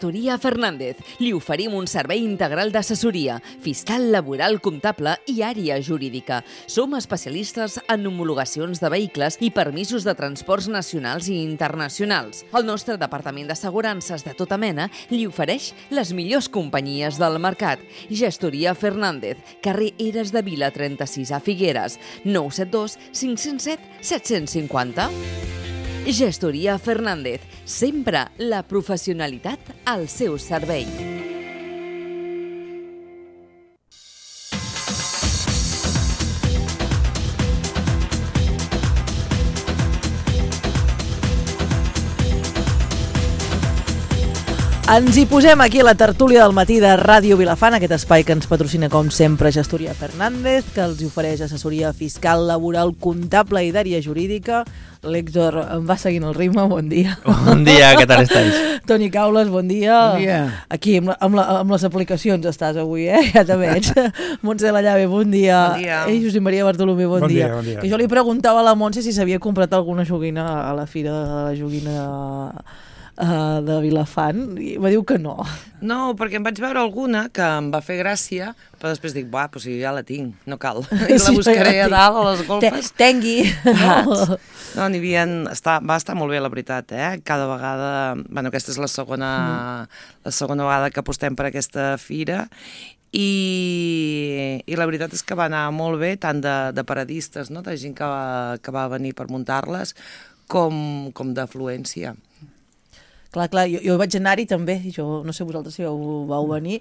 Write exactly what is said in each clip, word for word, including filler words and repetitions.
Gestoria Fernández. Li oferim un servei integral d'assessoria, fiscal, laboral, comptable i àrea jurídica. Som especialistes en homologacions de vehicles i permisos de transports nacionals i internacionals. El nostre departament d'assegurances de tota mena li ofereix les millors companyies del mercat. Gestoria Fernández, carrer Eres de Vila trenta-sis a Figueres, nou set dos cinc zero set set cinc zero. Gestoria Fernández, sempre la professionalitat al seu servei. Ens hi posem aquí a la tertúlia del matí de Ràdio Vilafant, aquest espai que ens patrocina com sempre Gestoria Fernández, que els ofereix assessoria fiscal, laboral, comptable i d'àrea jurídica. L'Héctor em va seguint el ritme, bon dia. Bon dia, què tal estàs? Toni Caules, bon dia. Bon dia. Aquí amb, la, amb, la, amb les aplicacions estàs avui, eh? Ja te veig. Montse Lallave, bon dia. Bon dia. Ei, Josep Maria Bartolomé, bon, Bon dia. dia, bon dia. Que jo li preguntava a la Montse si s'havia comprat alguna joguina a la fira de la joguina uh, de Vilafant, i va dir que no. No, perquè em vaig veure alguna que em va fer gràcia, però després dic, buah, però si ja la tinc, no cal. I la Sí, buscaré ja la a dalt, a les Te, golfes. tengui. No. No, n'hi havia... Està, va estar molt bé, la veritat, eh? Cada vegada... Bueno, aquesta és la segona, mm. la segona vegada que apostem per aquesta fira i, i la veritat és que va anar molt bé, tant de, de paradistes, no? De gent que va, que va venir per muntar-les, com, com d'afluència. Clar, clar, jo, jo vaig anar-hi també, jo no sé vosaltres si vau, vau venir.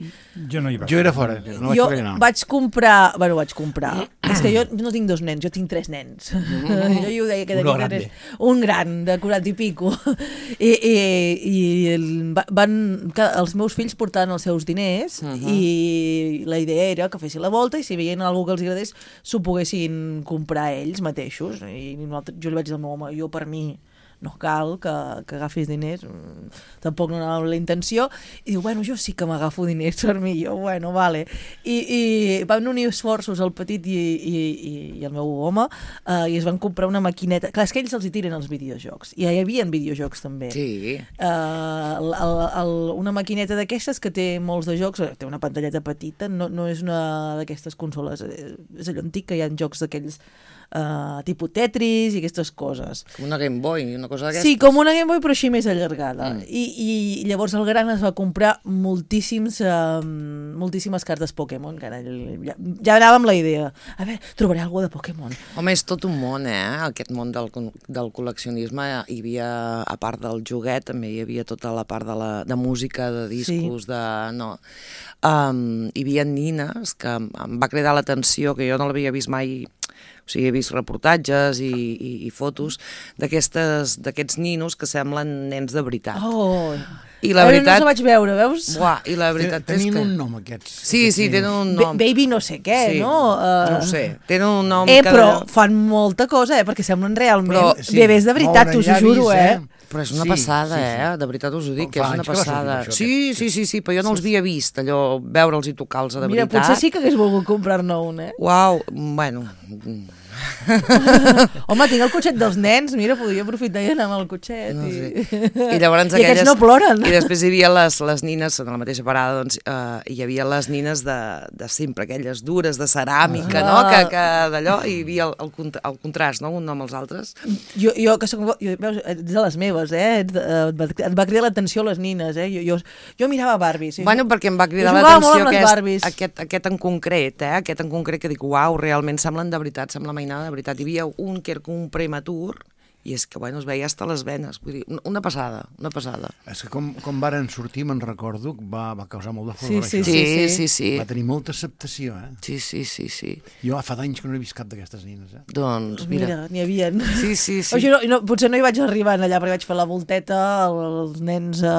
Jo no hi vaig. Jo era fora, no vaig jo poder anar. vaig comprar, bueno, vaig comprar, és que jo no tinc dos nens, jo tinc tres nens. Mm. Jo hi ho deia que Uno tenia grande. tres, un gran, de quaranta i pico. I, i, i el, van, els meus fills portaven els seus diners uh -huh. i la idea era que fessin la volta i si veien algú que els agradés s'ho poguessin comprar ells mateixos. I jo li vaig dir al meu home, jo per mi no cal que, que agafis diners, tampoc no anava amb la intenció, i diu, bueno, jo sí que m'agafo diners per mi, jo, bueno, vale. I, i van unir esforços el petit i, i, i el meu home, eh, i es van comprar una maquineta, clar, és que ells els hi tiren els videojocs, i ja hi havia videojocs també. Sí. Uh, el, el, el, una maquineta d'aquestes que té molts de jocs, té una pantalleta petita, no, no és una d'aquestes consoles, és allò antic que hi ha jocs d'aquells uh, tipus Tetris i aquestes coses. Com una Game Boy, una cosa d'aquestes. Sí, com una Game Boy, però així més allargada. Mm. I, I llavors el gran es va comprar moltíssims, uh, moltíssimes cartes Pokémon, que ara ja, ja anava amb la idea. A veure, trobaré alguna de Pokémon. Home, és tot un món, eh? Aquest món del, del col·leccionisme. Hi havia, a part del joguet, també hi havia tota la part de, la, de música, de discos, sí. de... No. Um, hi havia nines que em va cridar l'atenció, que jo no l'havia vist mai. O sigui, he vist reportatges i, i, i fotos d'aquests ninos que semblen nens de veritat. Oh, I la veritat... no els vaig veure, veus? Buah, i la veritat és Tenien que... un nom, aquests. Sí, aquests sí, ninos. tenen un nom. Ba- Baby no sé què, Sí, no? Uh... no ho sé, tenen un nom... Eh, que però de- fan molta cosa, eh? Perquè semblen realment Però, sí, bebès de veritat, moure t'ho llavis, juro, eh? Però és una Sí, passada, sí, sí. eh? De veritat us ho dic, Com que fa és una anys que va sortir passada. això, Sí, aquest- sí, sí, sí, però jo no els havia vist, allò, veure'ls i tocar-los de Mira, veritat. potser sí que hagués volgut comprar-ne un, eh? Uau, bueno... Home, tinc el cotxet dels nens, mira, podria aprofitar i anar amb el cotxet. No i... sé. I llavors I aquests aquelles... no ploren. I després hi havia les, les nines, en la mateixa parada, doncs, eh, hi havia les nines de, de sempre, aquelles dures, de ceràmica, Ah. no? Que, que d'allò hi havia el, el, cont- el contrast, no? Un nom als altres. Jo, jo que soc, jo, veus, ets de les meves, eh? Et, et, va, et va cridar l'atenció les nines, eh? Jo, jo, jo mirava Barbie. Sí. Bueno, perquè em va cridar Jo jugava molt l'atenció amb les aquest, Barbies. aquest, aquest en concret, eh? Aquest en concret que dic, uau, realment semblen de veritat, sembla mainada de veritat. Hi havia un que era com un prematur, i és que, bueno, es veia hasta les venes. Vull dir, una passada, una passada. És que com, com varen sortir, me'n recordo, va, va causar molt de furor, Sí, això. sí, Sí, sí, sí. Va tenir molta acceptació, eh? Sí, sí, sí, sí. Jo fa d'anys que no he vist cap d'aquestes nines, eh? Doncs, mira. Mira, n'hi havia. Sí, sí, sí. O sigui, no, no, potser no hi vaig arribar allà, perquè vaig fer la volteta, els nens eh,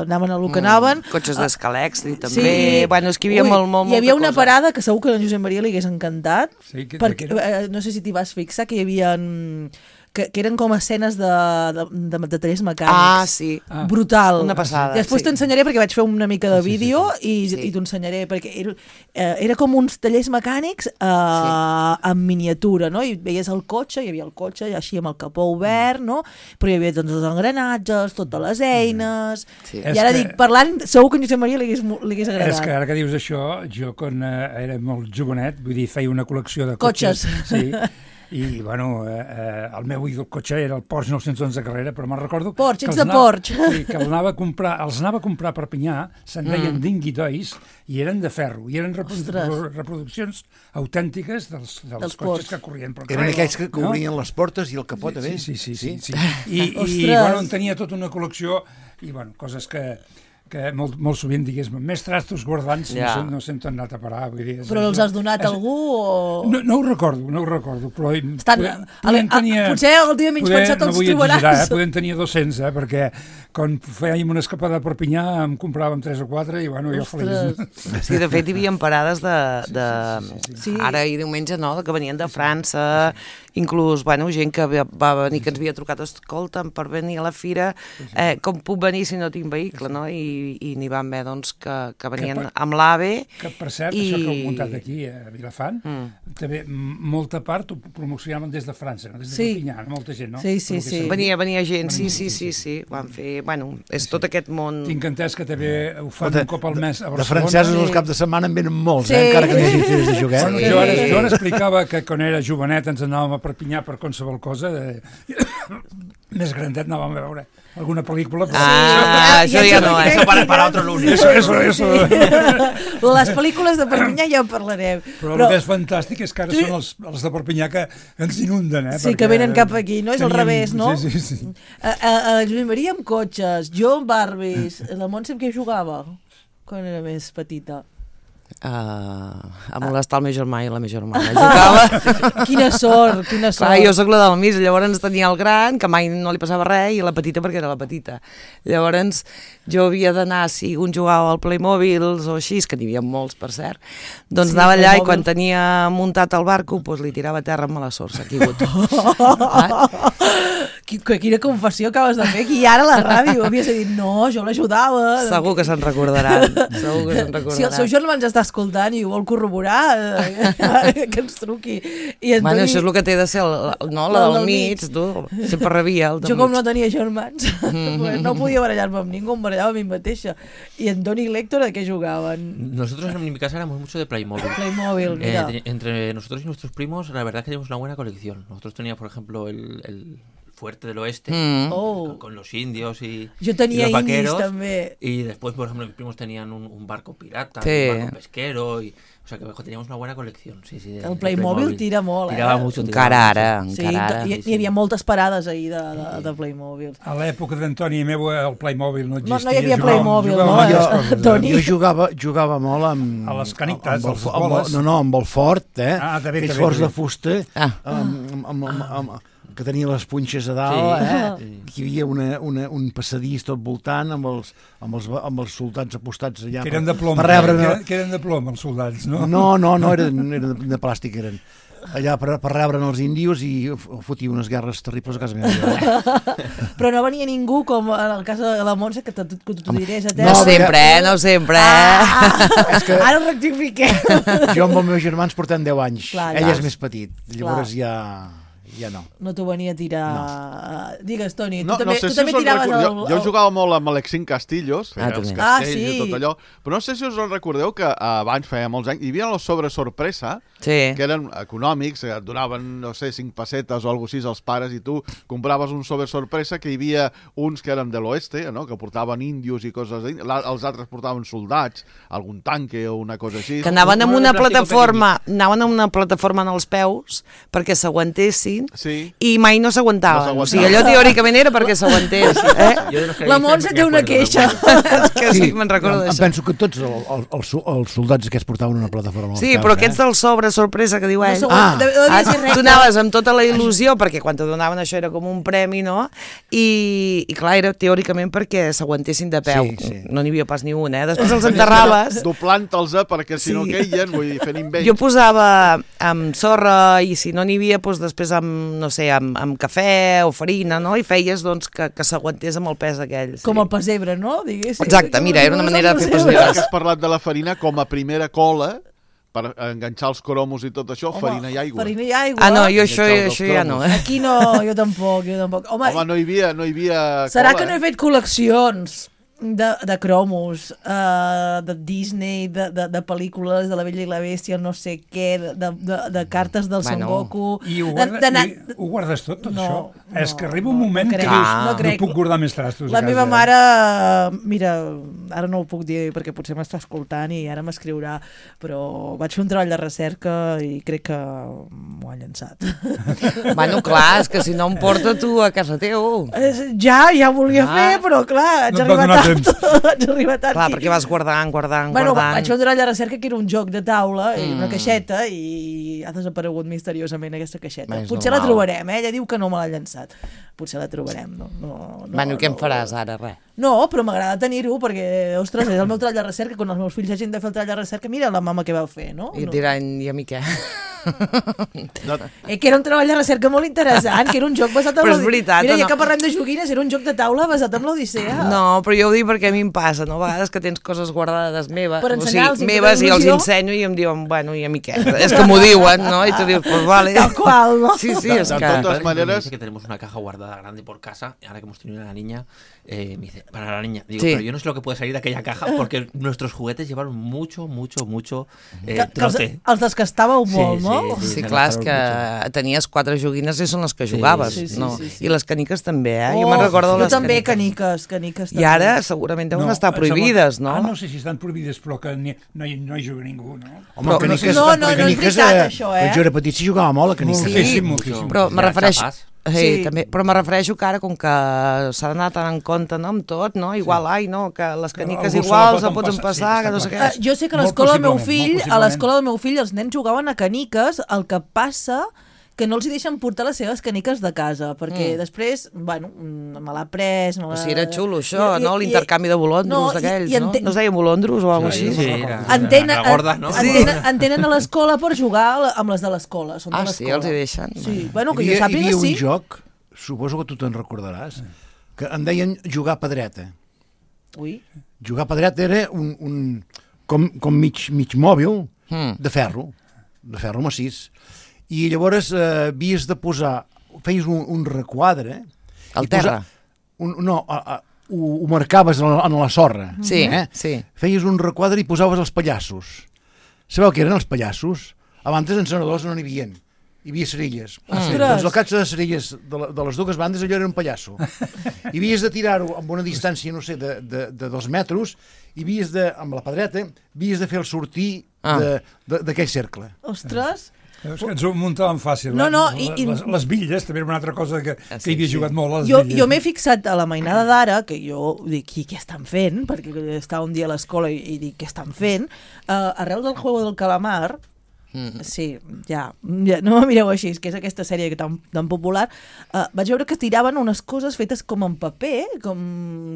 anaven a lo que anaven. Mm, cotxes d'escalecs, i també. Sí. Bueno, és que hi havia Ui, molt, molt, hi havia molta una cosa. parada que segur que a en Josep Maria li hagués encantat, Sí, que- perquè, que era? eh, no sé si t'hi vas fixar, que hi havia mm, que, que eren com escenes de, de, de, de tallers mecànics. Ah, sí. Ah. Brutal. Una passada. Després sí. t'ensenyaré perquè vaig fer una mica de sí, sí, vídeo sí, sí. i, Sí. i t'ho ensenyaré perquè era, eh, era com uns tallers mecànics eh, sí. en miniatura, no? I veies el cotxe, hi havia el cotxe així amb el capó obert, no? Però hi havia doncs, els engranatges, totes les eines... Sí. I ara És que- dic, parlant, segur que en Josep Maria li hagués, li hagués agradat. És que ara que dius això, jo quan eh, era molt jovenet, vull dir, feia una col·lecció de Cotxes. cotxes. Sí. I, bueno, eh, eh, el meu ídol cotxe era el Porsche nou-cents onze Carrera, però me'n recordo... Porsche, que ets els de anava- Porsche. Sí, que els anava a comprar, els anava a comprar a Perpinyà, se'n deien mm. dinguitois, i eren de ferro, i eren reprodu Ostres. reproduccions autèntiques dels, dels, Dels cotxes Porsche. que corrien per Eren carrer, aquells que no? obrien les portes i el capó també. Sí, sí, sí. sí, sí. I, i Ostres. bueno, en tenia tota una col·lecció i, bueno, coses que, que molt, molt sovint, digués-me, més trastos guardants Ja. no, sé, no sé on t'han anat a parar. Vull dir, és, Però els has donat a algú o...? No, no ho recordo, no ho recordo, però... Estan, podem, a, podem a, tenir, potser el dia menys poder, pensat no els vull trobaràs. exagerar, eh? Podem tenir dos-cents, eh? Perquè quan fèiem una escapada a Perpinyà em compràvem tres o quatre i, bueno, jo feliç. Sí, de fet, hi havia parades de... de... Sí, sí, sí, sí. Ara i diumenge, no?, que venien de França, inclús, bueno, gent que va va venir, que ens havia trucat, escolta'm, per venir a la fira, eh, com puc venir si no tinc vehicle, no? I, i n'hi van haver, doncs, que, que venien Que per- amb l'AVE. Que, per cert, I- això que heu muntat aquí a Vilafant, Mm. també m- molta part ho promocionaven des de França, no? Des de Sí. Perpinyà, molta gent, no? Sí, sí, Pel que sí. sé. Venia, venia gent, sí, Venia sí, gent, sí, sí, ho van fer, bueno, és tot aquest món... Tinc entès que també ho fan De- un cop al mes a De Barcelona. francesos Sí. els caps de setmana en venen molts, Sí. eh? Encara que no hi hagi fires de joguet. Bueno, jo, ara, jo ara explicava que quan era jovenet ens anàvem a Perpinyà per qualsevol cosa, de... més grandet anàvem a veure alguna pel·lícula. Però... Ah, això ja no, eh? Eso para, para otro lunes. Eso, eso, eso. Les pel·lícules de Perpinyà ja en parlarem. Però, el que és fantàstic és que ara són els, els de Perpinyà que ens inunden, eh? Sí, que venen cap aquí, no? És al revés, no? Sí, sí, sí. A, a, a Josep Maria amb cotxes, jo amb Barbies, la Montse amb què jugava quan era més petita? Uh, a molestar el meu germà i la meva germana. Jugava... Quina sort, quina sort. Clar, jo sóc la del mig, llavors tenia el gran, que mai no li passava res, i la petita perquè era la petita. Llavors jo havia d'anar, si un jugava al Playmobil o així, que n'hi havia molts, per cert, doncs Sí, anava allà i Playmobil. quan tenia muntat el barco, doncs li tirava a terra amb mala sort, s'ha caigut. Qui- que- Quina confessió acabes de fer aquí i ara a la ràdio. Havies de dir, no, jo l'ajudava. Segur que se'n recordaran, segur que se'n recordaran. Si el seu germà ens està escoltant i ho vol corroborar, eh, que ens truqui. I en Bueno, Toni- això és el que té de ser, el, el- no, la El del del mig, mig. tu, sempre rebia el del Jo com mig. no tenia germans, pues no podia barallar-me amb ningú, em barallava a mi mateixa. I en Toni i l'Héctor, a què jugaven? Nosotros en mi casa éramos mucho de Playmobil. Playmobil, Eh, mira. te- entre nosotros y nuestros primos, la verdad que tenemos una buena colección. Nosotros teníamos, por ejemplo, el, el Fuerte del Oeste, Mm. Oh. con, con los indios y, Jo tenia y los indis, vaqueros. també. Y después, por ejemplo, mis primos tenían un, un barco pirata, Sí. un barco pesquero. Y, o sea, que teníamos una buena colección. Sí, sí, de, El de Playmobil tira molt, eh? Tiraba mucho. tiraba Encara mucho. ara, Sí, encara ara. hi, hi havia moltes parades ahir de, de, de Playmobil. A l'època d'Antoni i meu el Playmobil no No, existia. no hi havia jugàvem- Playmobil, jugàvem no? amb altres Jo- coses, eh? Toni. Jo jugava, jugava molt amb... A les canictes, amb el, a les amb el, boles. no, no, amb el fort, eh? Ah, també, Aquells també, forts també. de fusta, Ah. amb, amb, amb, amb, amb, que tenia les punxes a dalt, Sí. eh? Hi havia una, una, un passadís tot voltant amb els, amb els, amb els soldats apostats allà. Que eren de plom, per rebre... que, eren, que eren de plom els soldats, no? No, no, no, eren, eren de, de plàstic, eren. Allà per, per rebre els índios i fotia unes guerres terribles a casa meva. Però no venia ningú, com en el cas de la Montse, que t'ho te dirés a No terra. sempre, eh? No sempre, eh? Ah, És que- ara ho rectifiquem. Jo amb els meus germans portem deu anys. Clar, Ell clar. és més petit, llavors ja, ja no. No t'ho venia a tirar... Digues, Toni, No, tu també, no sé tu si també us en tiraves recordeu. el... Jo, jo jugava molt amb Alexín Castillos, Ah, feia els també. Ah, castells sí. i tot allò, però no sé si us en recordeu que abans, feia molts anys, hi havia els sobre sorpresa, Sí. que eren econòmics, et donaven, no sé, cinc pessetes o alguna cosa així als pares i tu compraves un sobre sorpresa que hi havia uns que eren de l'oeste, no?, que portaven índios i coses així, la- els altres portaven soldats, algun tanque o una cosa així. Que anaven amb Uno de una plástico plataforma, anaven amb una plataforma en els peus perquè s'aguantessin Sí. i mai no s'aguantaven. No o sigui, s'aguantaven. allò teòricament era perquè s'aguantés. Eh? Yo de los que La dicen, Montse me té una acuerdo, me queixa. acuerdo. És que sí, me'n recordo em, em d'això. penso que tots el, el, els, els soldats aquests portaven una plataforma. als Sí, peus, però eh? aquests del sobre sorpresa que diu ell. No Ah. de- devia Ah, ser recte. tu anaves amb tota la il·lusió, perquè quan te donaven això era com un premi, no? I, i clar, era teòricament perquè s'aguantessin de peu. Sí, sí. No n'hi havia pas ni un, eh? Després els enterraves. Doblant-los perquè si Sí. no queien, vull dir, fent invents. Jo posava amb sorra i si no n'hi havia, doncs després amb, amb, no sé, amb, amb cafè o farina, no? I feies, doncs, que, que s'aguantés amb el pes aquell. Sí. Com el pessebre, no? Diguéssim. Exacte, mira, era una manera de fer Ja pessebres. que has parlat de la farina com a primera cola, per enganxar els cromos i tot això, Home, farina i aigua. Farina i aigua. Ah, no, jo això, Enganxar els això ja no. cromos. Eh? Aquí no, jo tampoc, jo tampoc. Home, Home, no hi havia, no hi havia serà cola, que no he eh? fet col·leccions de, de cromos, uh, de Disney, de, de, de pel·lícules de La Bella i la Bèstia, no sé què, de, de, de cartes del Son Bueno. Goku... I ho, de- guarda, d'anar- i ho guardes tot, tot No, això? no, És que arriba un no, moment no que crec, dius, no no, crec. puc guardar més trastos La a casa. meva mare, mira, ara no ho puc dir perquè potser m'està escoltant i ara m'escriurà, però vaig fer un treball de recerca i crec que m'ho ha llençat. Bueno, clar, és que si no em porta tu a casa teu. Eh, Ja, ja volia Ah. fer, però clar, haig No et va arribat donar tard. temps. Haig arribat tard. Clar, i- perquè vas guardant, guardant, Bueno, guardant. vaig fer un treball de recerca que era un joc de taula, mm. una Mm. caixeta, i ha desaparegut misteriosament aquesta caixeta. Bé, és Potser la normal. trobarem, eh? Ella diu que no me l'ha llançat. Potser la trobarem. No, no, no, Bueno, què no, em faràs ara? Res. No, però m'agrada tenir-ho perquè, ostres, és el meu treball de recerca. Quan els meus fills hagin de fer el treball de recerca, mira la mama que vau fer, no? I et no. diran, i a mi què? No, Eh, que era un treball de recerca molt interessant, que era un joc basat en Però és l'Odi- veritat, Mira, o ja no? que parlem de joguines, era un joc de taula basat en l'Odissea. No, però jo ho dic perquè a mi em passa, no? A vegades que tens coses guardades meves, Per o ensenyar-los sigui, i meves fer i els il·lusió. ensenyo i em diuen, bueno, i a mi què? És que m'ho diuen, no? I tu dius, pues vale. Tal qual, no? Sí, sí, De- és de que... totes Mi padre maneras- me dice que tenemos una caja guardada grande por casa, y ahora que hemos tenido una niña, eh, me dice, para la niña, digo, Sí. pero yo no sé lo que puede salir de aquella caja, porque nuestros juguetes llevaron mucho, mucho, mucho eh, Que, que els, trote. els descastàveu Sí, molt, sí, no? sí. Sí, se clar, és gastaron que tenies quatre joguines i són les que jugaves, sí, sí, no? sí, sí. I les caniques també, eh? Oh, jo me'n recordo jo les també, caniques. caniques, caniques I també. ara segurament deuen estar em sembla- prohibides, no? Ah, no sé si estan prohibides, però que ni, no, hi, no hi juga ningú, no? Home, Però- caniques, No, no, no és caniques, veritat, eh, això, eh? Quan jo era petit s'hi jugava molt a caniques. Moltíssim, moltíssim. Però me Ja, refereixo... xapes. Sí, Sí. també, però me refereixo que ara, com que s'ha d'anar tan en compte, no?, amb tot, no? Igual, ai, no, que les caniques algú se igual la se pot poden empassar, passar, sí, que no està sé clar. què. Eh, jo sé que a Molt l'escola del meu possiblement, fill, molt a possiblement. l'escola del meu fill els nens jugaven a caniques, el que passa que no els hi deixen portar les seves caniques de casa, perquè Mm. després, bueno, mm, me l'ha pres... Me O l'ha... sigui, era xulo, això, I- i- no? L'intercanvi de bolondros no, i- d'aquells, i no? ente- No es deien bolondros o alguna cosa Sí, així? Sí, era, Entenen, era gorda, no? entenen, entenen a l'escola per jugar amb les de l'escola. Són de Ah, sí, l'escola. els hi deixen? Sí, bueno, que Hi jo havia, hi sàpiga, havia sí. un joc, suposo que tu te'n recordaràs, que en deien jugar a pedreta. Ui. Jugar a pedreta era un, un com, com mig, mig mòbil Mm. de ferro, de ferro massís. I llavors eh, havies de posar, feies un, un requadre... Al i posar- terra? Un, no, a, a, ho, ho marcaves en la, en la sorra. Sí, eh? sí. Feies un requadre i posaves els pallassos. Sabeu què eren els pallassos? Abans els encenedors no n'hi havia. Hi havia cerilles. Mm. Doncs el catx de cerilles de, la, de les dues bandes allò era un pallasso. I havies de tirar-ho amb una distància, no sé, de, de, de dos metres, i havies de, amb la pedreta, havies de fer el sortir Ah. de- de- d'aquell cercle. Ostres. Veus que ens ho muntàvem fàcil. No, eh? no, les, i- i- les, les bitlles, també era una altra cosa que, Ah, sí, que hi havia sí. jugat molt, les Jo, bitlles. jo m'he fixat a la mainada d'ara, que jo dic, i què estan fent? Perquè estava un dia a l'escola i, i dic, què estan fent? Uh, arrel del Juego del Calamar, Mm. sí, ja, ja, no me mireu així, que és aquesta sèrie tan, tan popular, uh, vaig veure que tiraven unes coses fetes com en paper, com,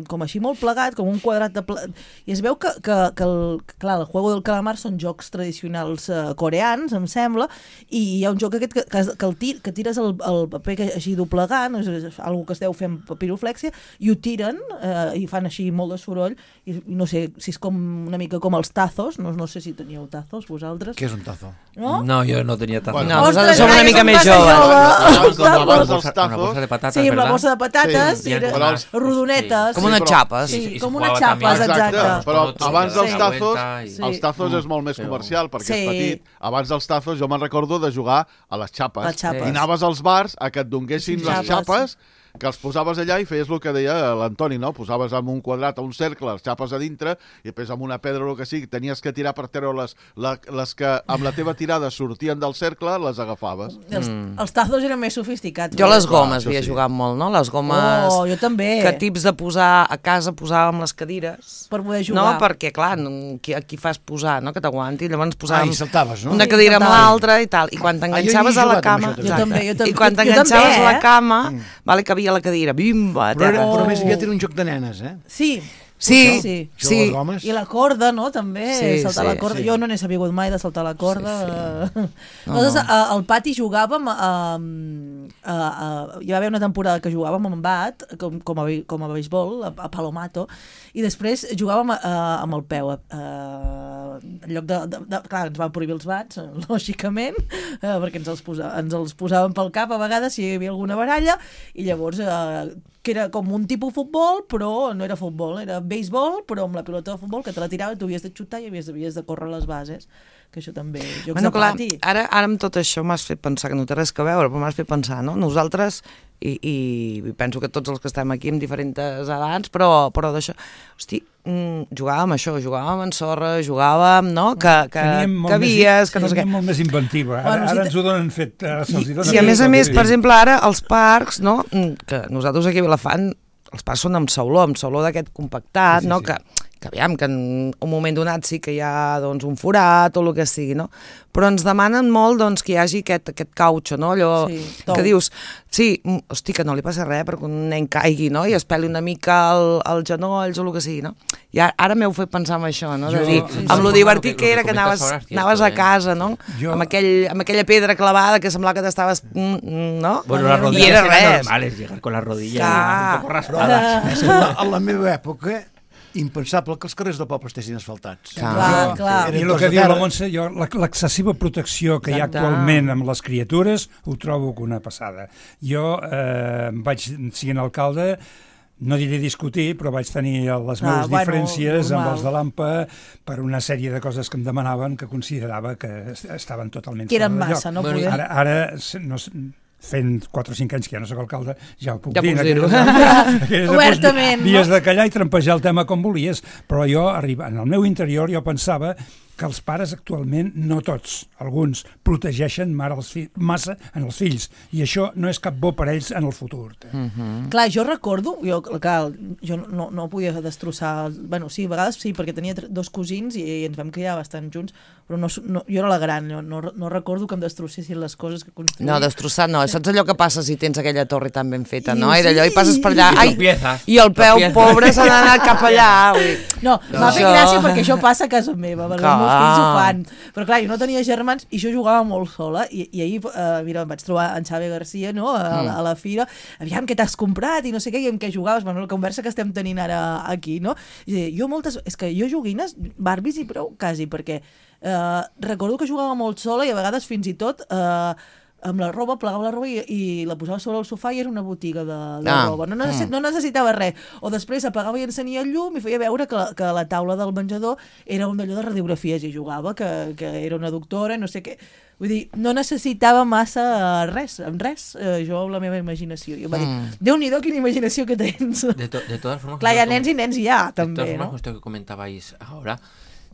com així molt plegat, com un quadrat de pla... i es veu que, que, que el, clar, el Juego del Calamar són jocs tradicionals uh, coreans, em sembla, i hi ha un joc aquest que, que, que, el tir, que tires el, el paper que, així doblegant, és, és algo que es deu fer amb papiroflèxia, i ho tiren, uh, i fan així molt de soroll, i, i no sé si és com una mica com els tazos, no, no sé si teníeu tazos vosaltres. Què és un tazo? No? No, yo no tenía taza. Bueno, No, Ostres, nosaltres som una Laia, mica som més massa joves. jove. Abans, Els abans tazos. dels Una tazos... bolsa de patatas, Sí, amb la ¿verdad? bossa de patates. Sí, i era però els- rodonetes. Com unes però- xapes. Sí, I- i se com jugava unes xapes, també. exacte. però Sí. abans dels Sí. tazos, Sí. els tazos és molt més Però- comercial, perquè Sí. és petit. Abans dels tazos jo me'n recordo de jugar a les xapes. Les xapes. I anaves als bars a que et donguessin Sí, les xapes. xapes, que els posaves allà i feies el que deia l'Antoni, no? Posaves amb un quadrat o un cercle les xapes a dintre i després amb una pedra o el que sigui, tenies que tirar per treure les, la, les que amb la teva tirada sortien del cercle, les agafaves. Els, els tazos eren més sofisticats. Jo les Clar, gomes això havia sí. jugat molt, no? Les gomes... Oh, jo també. Que tips de posar a casa posàvem les cadires. Per poder No, jugar. perquè, clar, no, qui, aquí fas posar, no?, que t'aguanti. Llavors Ah, posàvem i saltaves, no? una Sí, cadira amb saltava. l'altra i tal. I quan t'enganxaves Ah, jo hi he a la jugat amb cama... això, també. Jo també, jo també. I quan Jo t'enganxaves també, a la eh? cama, vale, que havia la cadira, bimba, a Però, era, terra. però més aviat era un joc de nenes, eh? Sí, Sí, sí. Això sí. les gomes. I la corda, no?, també, Sí, saltar sí, la corda. sí. Jo no n'he sabut mai de saltar la corda. Sí, sí. No, Nosaltres no. a- al pati jugàvem, a, a, a, hi va haver una temporada que jugàvem amb bat, com, com, a, com a beisbol, a, a Palomato, i després jugàvem a, a, amb el peu. A, a, en lloc de, de, de... Clar, ens van prohibir els bats, lògicament, eh, perquè ens els, posa, ens els posàvem pel cap a vegades si hi havia alguna baralla, i llavors... Eh, que era com un tipus futbol, però no era futbol, era béisbol, però amb la pilota de futbol, que te la tirava i tu havies de xutar i havies, havies de córrer les bases, que això també... Jocs Bueno, de clar, pati. ara, ara amb tot això m'has fet pensar, que no té res a veure, però m'has fet pensar, no? Nosaltres, i, i penso que tots els que estem aquí amb diferents edats, però, però d'això, hosti, mm, jugàvem això, jugàvem en sorra, jugàvem, no? Que, que, Teníem molt que havies, més, que no sé què. teníem molt més inventiva. Ara, Bueno, si ara te- ens ho donen fet. Ara se'ls hi dona I a fet més a tot. més, per exemple, ara els parcs, no? Mm, que nosaltres aquí a Vilafant, els parcs són amb sauló, amb sauló d'aquest compactat, Sí, sí, no? sí. Que, que aviam, que en un moment donat sí que hi ha doncs, un forat o el que sigui, no? Però ens demanen molt doncs, que hi hagi aquest, aquest cautxo, no? Allò Sí, que tou. dius, sí, mm, hosti, que no li passa res perquè un nen caigui, no? I es peli una mica el, els genolls o el que sigui, no? I ara, ara m'heu fet pensar en això, no? De Jo- dir, sí, amb sí. lo Bueno, divertit que- que lo era que que comentas anaves, ahora es cierto, anaves a eh. casa, no? Jo- Amb, aquell, amb aquella pedra clavada que semblava que t'estaves... mm, mm, no? Bueno, las I rodillas era eran res. normales, llegar con las rodillas Clar. un poco raspadas. És que a la, a la meva època, impensable que els carrers del poble estiguessin asfaltats. Clar, clar. I Eren el tots que de diu la terra. Montse, jo, la- l'excessiva protecció que hi ha Exacte. actualment amb les criatures ho trobo que una passada. Jo eh, vaig, siguent alcalde, no diré discutir, però vaig tenir les Ah, meves bueno, diferències amb normal. els de l'AMPA per una sèrie de coses que em demanaven que considerava que est- estaven totalment Que eren fora de massa, lloc. no Bueno, poder... Ara, ara se- no, s- fent quatre o cinc anys que ja no soc alcalde, ja ho puc Ja dir. pucs en dir-ho. aquelles- aquelles Obertament, èpoques Havies no? de callar i trampejar el tema com volies, però jo, arriba, en el meu interior, jo pensava que els pares actualment, no tots, alguns, protegeixen mare els fi- massa en els fills, i això no és cap bo per ells en el futur. Mm. Clar, jo recordo, jo, clar, jo no, no podia destrossar... Bueno, sí, a vegades sí, perquè tenia tre- dos cosins i, i ens vam criar bastant junts, però no, no, jo era la gran, no, no, no recordo que em destrossessin les coses que construïa. No, destrossat no. Saps allò que passa si tens aquella torre tan ben feta, no? I I d'allò i passes per allà... I Ai, tropiezas, i el peu tropiezas. pobre s'ha d'anar cap allà. Vull dir, No, No. m'ha fet Això- gràcia perquè això passa a casa meva, perquè Clar. els meus fills ho fan. Però clar, jo no tenia germans i jo jugava molt sola i, i ahir, eh, mira, em vaig trobar en Xavi Garcia, no?, a, la, a la fira, aviam què t'has comprat i no sé què, i amb què jugaves, bueno, la conversa que estem tenint ara aquí, no? I deia, jo moltes... És que jo joguines, Barbies i prou, quasi, perquè eh, recordo que jugava molt sola i a vegades fins i tot... Eh, amb la roba, plegava la roba i, i la posava sobre el sofà i era una botiga de, de Ah, roba. No, necessi mm. no necessitava res. O després apagava i encenia el llum i feia veure que, la- que la taula del menjador era un d'allò de radiografies i jugava, que, que era una doctora i no sé què. Vull dir, no necessitava massa res, amb res, eh, jo amb la meva imaginació. I em va dir, Mm. Déu-n'hi-do, quina imaginació que tens. De, to- de todas formas... Clar, hi ha como- nens i nens hi ha, de todas també, formas, no? esto que comentabais ahora,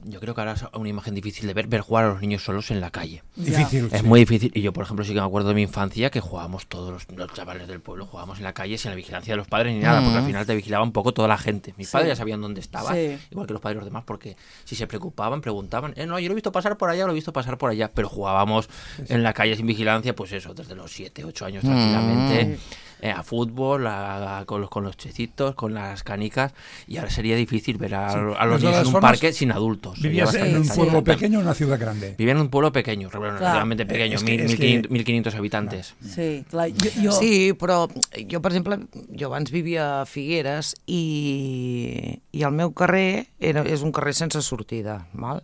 yo creo que ahora es una imagen difícil de ver, ver jugar a los niños solos en la calle. Difícil. Es sí. muy difícil, y yo por ejemplo sí que me acuerdo de mi infancia que jugábamos todos los, los chavales del pueblo, jugábamos en la calle sin la vigilancia de los padres ni nada, porque al final te vigilaba un poco toda la gente. Mis Sí. padres ya sabían dónde estabas, Sí. igual que los padres de los demás, porque si se preocupaban, preguntaban, eh, no, yo lo he visto pasar por allá, lo he visto pasar por allá, pero jugábamos en la calle sin vigilancia, pues eso, desde los siete, ocho años tranquilamente. eh, a fútbol, a, a- con, los, con los checitos, con las canicas, y ahora sería difícil ver a, Sí. a los De niños todas en un formas, parque sin adultos. Sería ¿Vivías bastante en un extraño. pueblo pequeño o en una ciudad grande? Vivía en un pueblo pequeño, bueno, Clar. relativamente pequeño, Es que- mil, es mil que- quinientos, mil quinientos habitantes. Sí, clar, jo, jo... Sí, però jo, per exemple, jo abans vivia a Figueres i, i el meu carrer era, és un carrer sense sortida, val?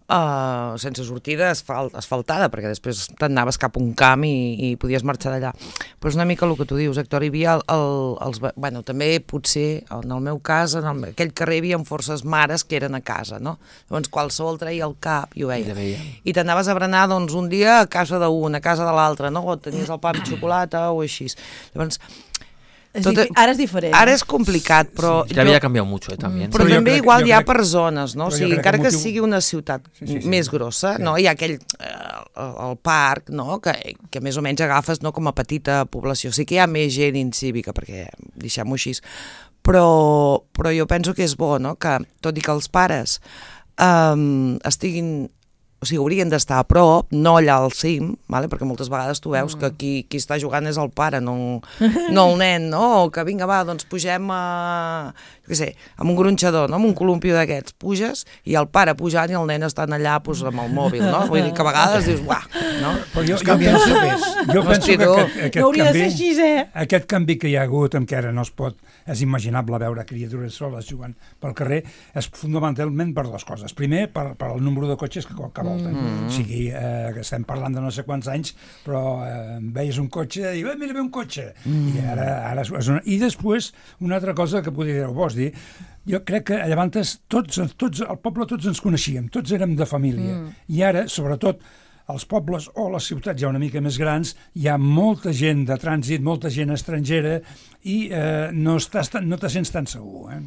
Uh, sense sortida asfalt, asfaltada, perquè després t'anaves cap a un camp i, i podies marxar d'allà. Però és una mica el que tu dius, Héctor, hi havia el, el, els... Bueno, també potser, en el meu cas, en el, aquell carrer hi havia forces mares que eren a casa, no? Llavors qualsevol treia el cap i ho veia. I la veia. I t'anaves a berenar, doncs, un dia a casa d'un, a casa de l'altre, no? O tenies el pa amb xocolata o així. Llavors, És tot- difi- ara és diferent. ara és complicat, però... La vida ha cambiado mucho, eh, también. Però Però jo també crec- igual jo hi ha crec- per zones, no? O però jo sigui, crec encara que que el motiu- sigui una ciutat Sí, sí, sí. més grossa, Sí. no? Hi ha aquell... Eh, el parc, no? Que, que més o menys agafes, no?, com a petita població. Sí que hi ha més gent incívica, perquè deixem-ho així. Però, però jo penso que és bo, no?, que tot i que els pares um, estiguin... O o sigui, haurien d'estar a prop, no allà al cim, vale? Perquè moltes vegades tu veus que qui, qui està jugant és el pare, no, no el nen, no? O que vinga, va, doncs pugem a, jo què sé, amb un gronxador, no? Amb un columpio d'aquests, puges, i el pare pujant i el nen estan allà pues, amb el mòbil, no? Vull dir que a vegades dius, uah, no? Però jo, jo penso, jo penso que aquest, aquest, no hauria de canvi, ser així, eh? aquest canvi que hi ha hagut, en què ara no es pot, és imaginable veure criatures soles jugant pel carrer, és fonamentalment per dues coses. Primer, per, per el número de cotxes que, que volten. Mm. O sigui, eh, que estem parlant de no sé quants anys, però eh, veies un cotxe i, eh, mira, ve un cotxe. Mm. I ara, ara és una... I després, una altra cosa que podria vos dir, jo crec que llavors tots, tots, al poble tots ens coneixíem, tots érem de família. Mm. I ara, sobretot, als pobles o a les ciutats ja una mica més grans, hi ha molta gent de trànsit, molta gent estrangera i eh, no, estàs, no te sents tan segur. ¿eh?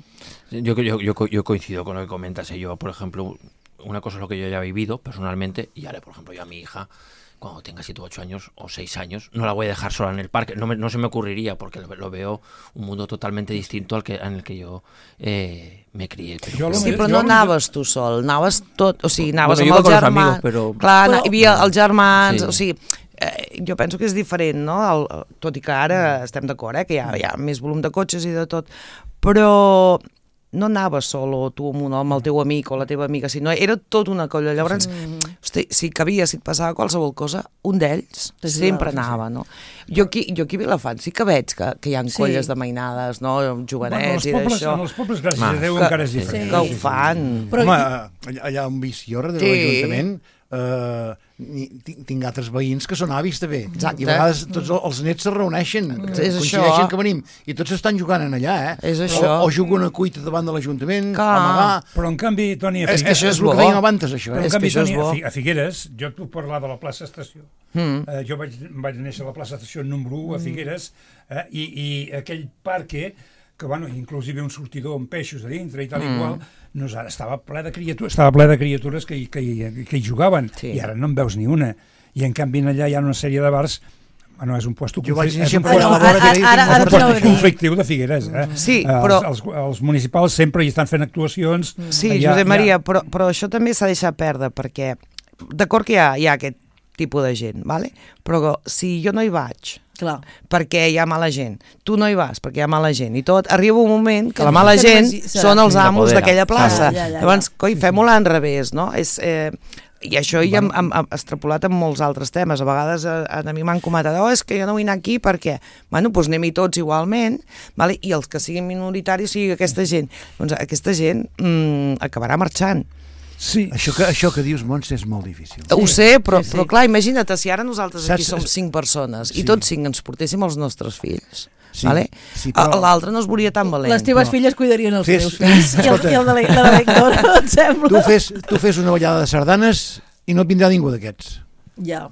Yo, yo, yo, yo coincido con lo que comentas. Yo, por ejemplo, una cosa es lo que yo ya he vivido personalmente y ahora, por ejemplo, yo a mi hija, cuando tenga siete u ocho años o seis años, no la voy a dejar sola en el parque. No, me, no se me ocurriría porque lo, lo veo un mundo totalmente distinto al que en el que yo eh, me crié. Però, sí, però no anaves tu sol, anaves tot, o sigui, anaves bueno, amb els germans. Amigos, però... Clar, però... hi havia els germans, sí. o sigui, eh, jo penso que és diferent, no? El, tot i que ara estem d'acord, eh, que hi ha, hi ha més volum de cotxes i de tot, però no anaves sol o tu amb, un, amb el teu amic o la teva amiga, sinó era tot una colla. Llavors, sí. hosti, si cabia, si et passava qualsevol cosa, un d'ells sempre anava, no? Jo aquí, jo aquí a Vilafant sí que veig que, que hi ha Sí. colles de mainades, no? Jovenets bueno, i d'això. En els pobles, gràcies Ma, a Déu, que, encara és diferent. sí. que ho fan. Però... Home, allà, allà on visc jo, darrere Sí. de l'Ajuntament, eh, tinc, tinc altres veïns que són avis també. Exacte. I a vegades tots els nets se reuneixen, És coincideixen això. que venim, i tots estan jugant en allà, eh? És o, això. o juguen a cuita davant de l'Ajuntament, Clar. a amagar... Però en canvi, Toni, a És, és, Figueres... això és és el bo. que dèiem abans, això. Però Eh? en És que canvi, això és Toni, a bo. Fi- a Figueres, jo et puc parlar de la plaça Estació. Mm. Eh, jo vaig, vaig néixer a la plaça Estació número u a Figueres, eh, i, i aquell parque, que bueno, inclusive un sortidor amb peixos a dintre i tal mm. i qual, no, estava ple de criatures, estava ple de criatures que, hi- que, hi- que hi jugaven, Sí. i ara no en veus ni una. I en canvi allà hi ha una sèrie de bars. Bueno, és un puesto Jo vaig conflic- néixer és un en puesto- la vora que Ara- ara- és un ara puesto t'anava a dir. conflictiu de Figueres. Eh? Sí, Eh, però- Els, els, els municipals sempre hi estan fent actuacions. Sí, Hi ha- Josep hi ha- Maria, però, però això també s'ha deixat perdre, perquè d'acord que hi ha, hi ha aquest tipus de gent, vale? Però si jo no hi vaig Clar. perquè hi ha mala gent, tu no hi vas perquè hi ha mala gent i tot, arriba un moment que Que la mala no gent sé si serà. són els Sí, amos s'apodera. d'aquella plaça. Ja, ja, ja, Llavors, ja. coi, fem-ho a l'enrevés, no? És... Eh, i això hi hem, hem, hem extrapolat en molts altres temes. A vegades a, a mi m'han comentat, oh, és que jo no vull anar aquí perquè, bueno, doncs anem-hi tots igualment, vale? I els que siguin minoritaris sigui aquesta gent. Doncs aquesta gent mm, acabarà marxant. Sí. Això que, això que dius, Montse, és molt difícil. Sí, ho sé, però, sí, sí. però clar, imagina't si ara nosaltres aquí Saps- som cinc persones Sí. i tots cinc ens portéssim els nostres fills. Sí, Vale? sí, però- L'altre no es veuria tan valent. Les teves no. filles cuidarien els Fes- teus fills i el, i el de la, la de l'Héctor, et sembla? Tu fes, tu fes una ballada de sardanes i no et vindrà ningú d'aquests. Ja.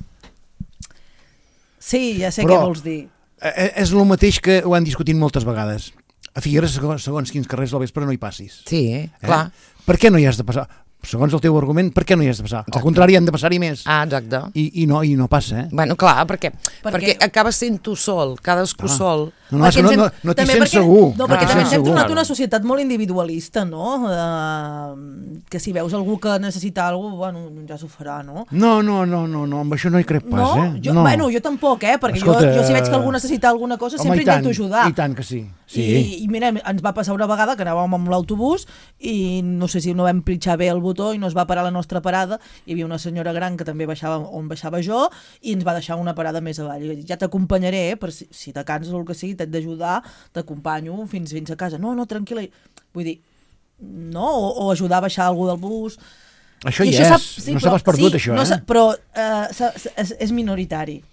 Sí, ja sé Però- què vols dir. Eh, És el mateix que ho han discutit moltes vegades. A Figueres, segons, segons quins carrers al vespre no hi passis. Sí, Eh? clar. Per què no hi has de passar? Segons el teu argument, per què no hi has de passar? Al contrari, han de passar-hi més. Ah, exacte. I, i, no, I no passa, eh? Bueno, clar, perquè, Perquè- perquè acabes sent tu sol, cadascú Ah. sol. No, no, és que no, ens hem- no, no t'hi també sents perquè- segur. No, perquè No t'hi també ens sents hem segur. tornat una societat molt individualista, no? Uh, que si veus algú que necessita alguna cosa, bueno, ja s'ho farà, no? No, no, no, no, no, amb això no hi crec pas, no? eh? Jo, no. Bueno, jo tampoc, eh? Perquè Escolta, jo, jo si veig que algú necessita alguna cosa, Home, sempre i tant, intento ajudar. I tant que sí. sí. I, I mira, ens va passar una vegada que anàvem amb l'autobús i no sé si no vam pitjar bé el botó i no es va parar a la nostra parada. Hi havia una senyora gran que també baixava on baixava jo i ens va deixar una parada més avall. I ja t'acompanyaré, eh, per si, si te canses o el que sigui, t'he d'ajudar, t'acompanyo fins, fins a casa. No, no, tranquil·la. Vull dir, no? O, o ajudar a baixar algú del bus. Això I hi això és, sap- no s'ha pas perdut, sí, això, no eh? s'ha- però eh, s'ha- és, és minoritari.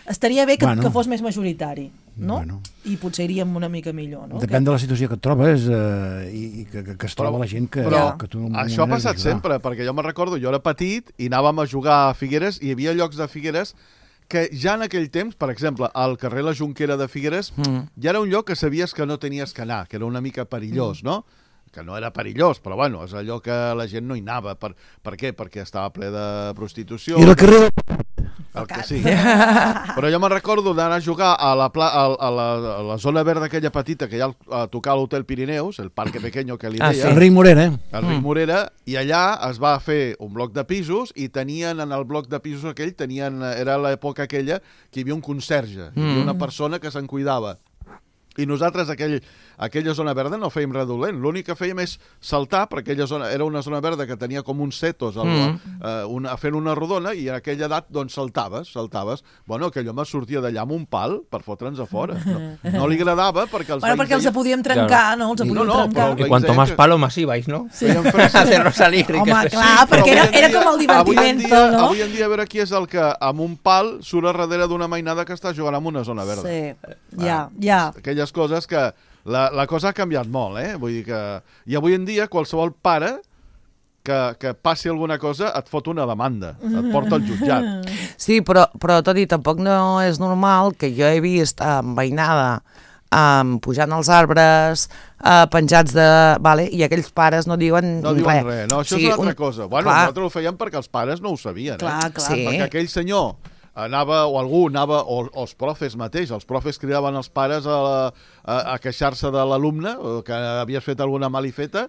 Estaria bé que, Bueno. que fos més majoritari, no? Bueno. I potser iríem una mica millor, no? Depèn de la situació que et trobes eh, i, i que, que, que es troba la gent que, Però que tu... en un això ha moment has passat d'ajudar. sempre, perquè jo me'n recordo, jo era petit i anàvem a jugar a Figueres i hi havia llocs de Figueres que ja en aquell temps, per exemple, al carrer La Jonquera de Figueres, mm. ja era un lloc que sabies que no tenies que anar, que era una mica perillós, mm. no? Que no era perillós, però bueno, és allò que la gent no hi anava. Per, per què? Perquè estava ple de prostitució. I el carrer... El que sí. Però jo me'n recordo d'anar a jugar a la, pla, a, a, la, a la zona verda aquella petita que hi ha a tocar a l'Hotel Pirineus, el Parque Pequeño que li deia. Ah, sí. El Ric Morera, eh? El Ric Morera, i allà es va fer un bloc de pisos i tenien, en el bloc de pisos aquell, tenien, era l'època aquella que hi havia un conserge, hi havia una persona que se'n cuidava. I nosaltres, aquell, aquella zona verda, no fèiem res dolent. L'únic que fèiem és saltar, perquè aquella zona era una zona verda que tenia com uns setos al, mm. eh, una, fent una rodona, i en aquella edat, doncs, saltaves, saltaves. Bueno, aquell home sortia d'allà amb un pal per fotre'ns a fora. No, no li agradava perquè els bueno, perquè els deien... podíem trencar, claro. no? Els I, podíem no, no, trencar. Y cuanto más palo, más ibais, ¿no? Sí. Hacerlo salir. Home, que clar, sí, perquè era, avui en era dia- com el divertimento, avui en dia, no? Avui en dia, a veure qui és el que amb un pal surt a darrere d'una mainada que està jugant en una zona verda. Sí, ja, ja. Aquelles coses que... La, la cosa ha canviat molt, eh? Vull dir que... I avui en dia qualsevol pare que, que passi alguna cosa et fot una demanda, et porta al jutjat. Sí, però, però tot i tampoc no és normal que jo he vist amb veïnada um, pujant als arbres, uh, penjats de... Vale, i aquells pares no diuen No diuen res. res, no, això O sigui, és una altra un- cosa. Bueno, clar. nosaltres ho fèiem perquè els pares no ho sabien, Clar, eh? clar. Sí. Perquè aquell senyor anava, o algú anava, o, o els profes mateix, els profes cridaven els pares a, la, a, a queixar-se de l'alumne, o que havies fet alguna malifeta,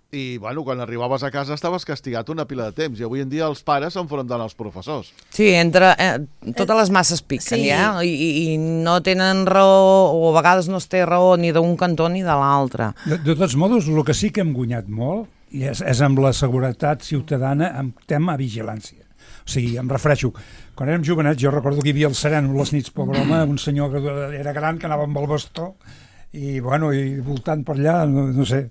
i, bueno, quan arribaves a casa estaves castigat una pila de temps, i avui en dia els pares s'enfronten als professors. Sí, entre... Eh, totes les masses piquen, Sí. ja, i, i, i no tenen raó, o a vegades no es té raó ni d'un cantó ni de l'altre. De, de tots modos, el que sí que hem guanyat molt i és, és amb la seguretat ciutadana amb tema vigilància. O sigui, em refereixo, quan érem jovenets, jo recordo que hi havia el sereno les nits, pobre home, un senyor que era gran, que anava amb el bastó, i, bueno, i voltant per allà, no, no sé.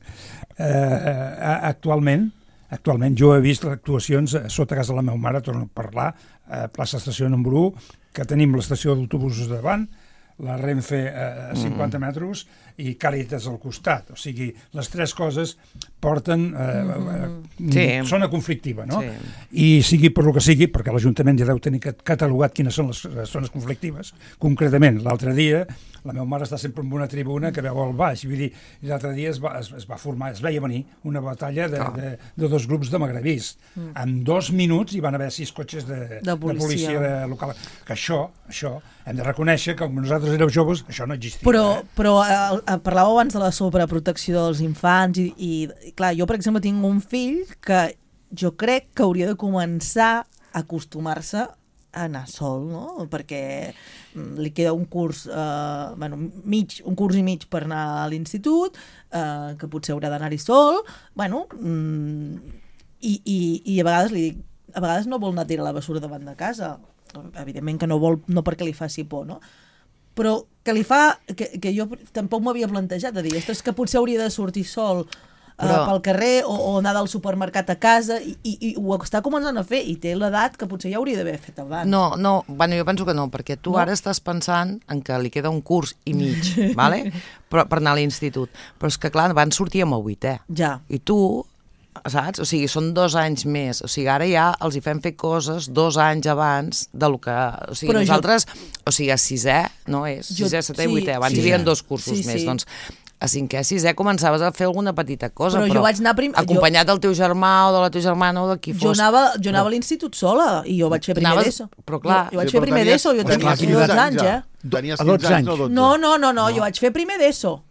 Eh, actualment, actualment jo he vist actuacions sota casa de la meva mare, torno a parlar, a plaça Estació número u, que tenim l'estació d'autobusos davant, la Renfe a cinquanta metres i Càritas al costat. O sigui, les tres coses porten... Eh, Sí. zona conflictiva, no? Sí. I sigui per lo que sigui, perquè l'Ajuntament ja deu tenir catalogat quines són les zones conflictives. Concretament, l'altre dia, la meva mare està sempre en una tribuna que veu al baix, vull dir, i l'altre dia es va, es, es va formar, es veia venir una batalla de, de, de dos grups de magrebís. Mm. En dos minuts hi van haver sis cotxes de, De policia. de policia de local. Que això, això, hem de reconèixer que quan nosaltres érem joves, això no existia. Però, eh? però eh, parlàveu abans de la sobreprotecció dels infants i, i, i clar, jo per exemple tinc un fill que jo crec que hauria de començar a acostumar-se a anar sol, no? Perquè li queda un curs, eh, bueno, mig, un curs i mig per anar a l'institut, eh, que potser haurà d'anar-hi sol, bueno, mm, i, i, i a vegades li dic, a vegades no vol anar a tirar la bessura davant de casa, evidentment que no vol, no perquè li faci por, no? Però que li fa, que, que jo tampoc m'havia plantejat, de dir, ostres, que potser hauria de sortir sol Però... Uh, pel carrer o, o anar del supermercat a casa i, i, i ho està començant a fer i té l'edat que potser ja hauria d'haver fet abans. No, no, bueno, jo penso que no, perquè tu No? ara estàs pensant en que li queda un curs i mig, vale? Però, per anar a l'institut. Però és que, clar, van sortir amb el vuitè. Ja. I tu, saps? O sigui, són dos anys més. O sigui, ara ja els hi fem fer coses dos anys abans del que... O sigui, Però nosaltres... Jo... O sigui, a sisè, no és? Jo- Sisè, setè sí, i vuitè. Abans sí. hi havia dos cursos Sí, més. sí. Doncs a cinquè, sisè començaves a fer alguna petita cosa, Però però, jo vaig anar prim- acompanyat del teu germà o de la teva germana o de qui Jo fos. anava, jo anava a l'institut sola i jo vaig fer primer Anaves- d'ESO. però clar, jo, jo vaig Sí, fer però primer tenies- d'ESO, jo tenies tenia quinze dotze anys, ja. eh? Tenies A dotze quinze anys, anys. no dotze. No, no, no, no, jo vaig fer primer d'ESO.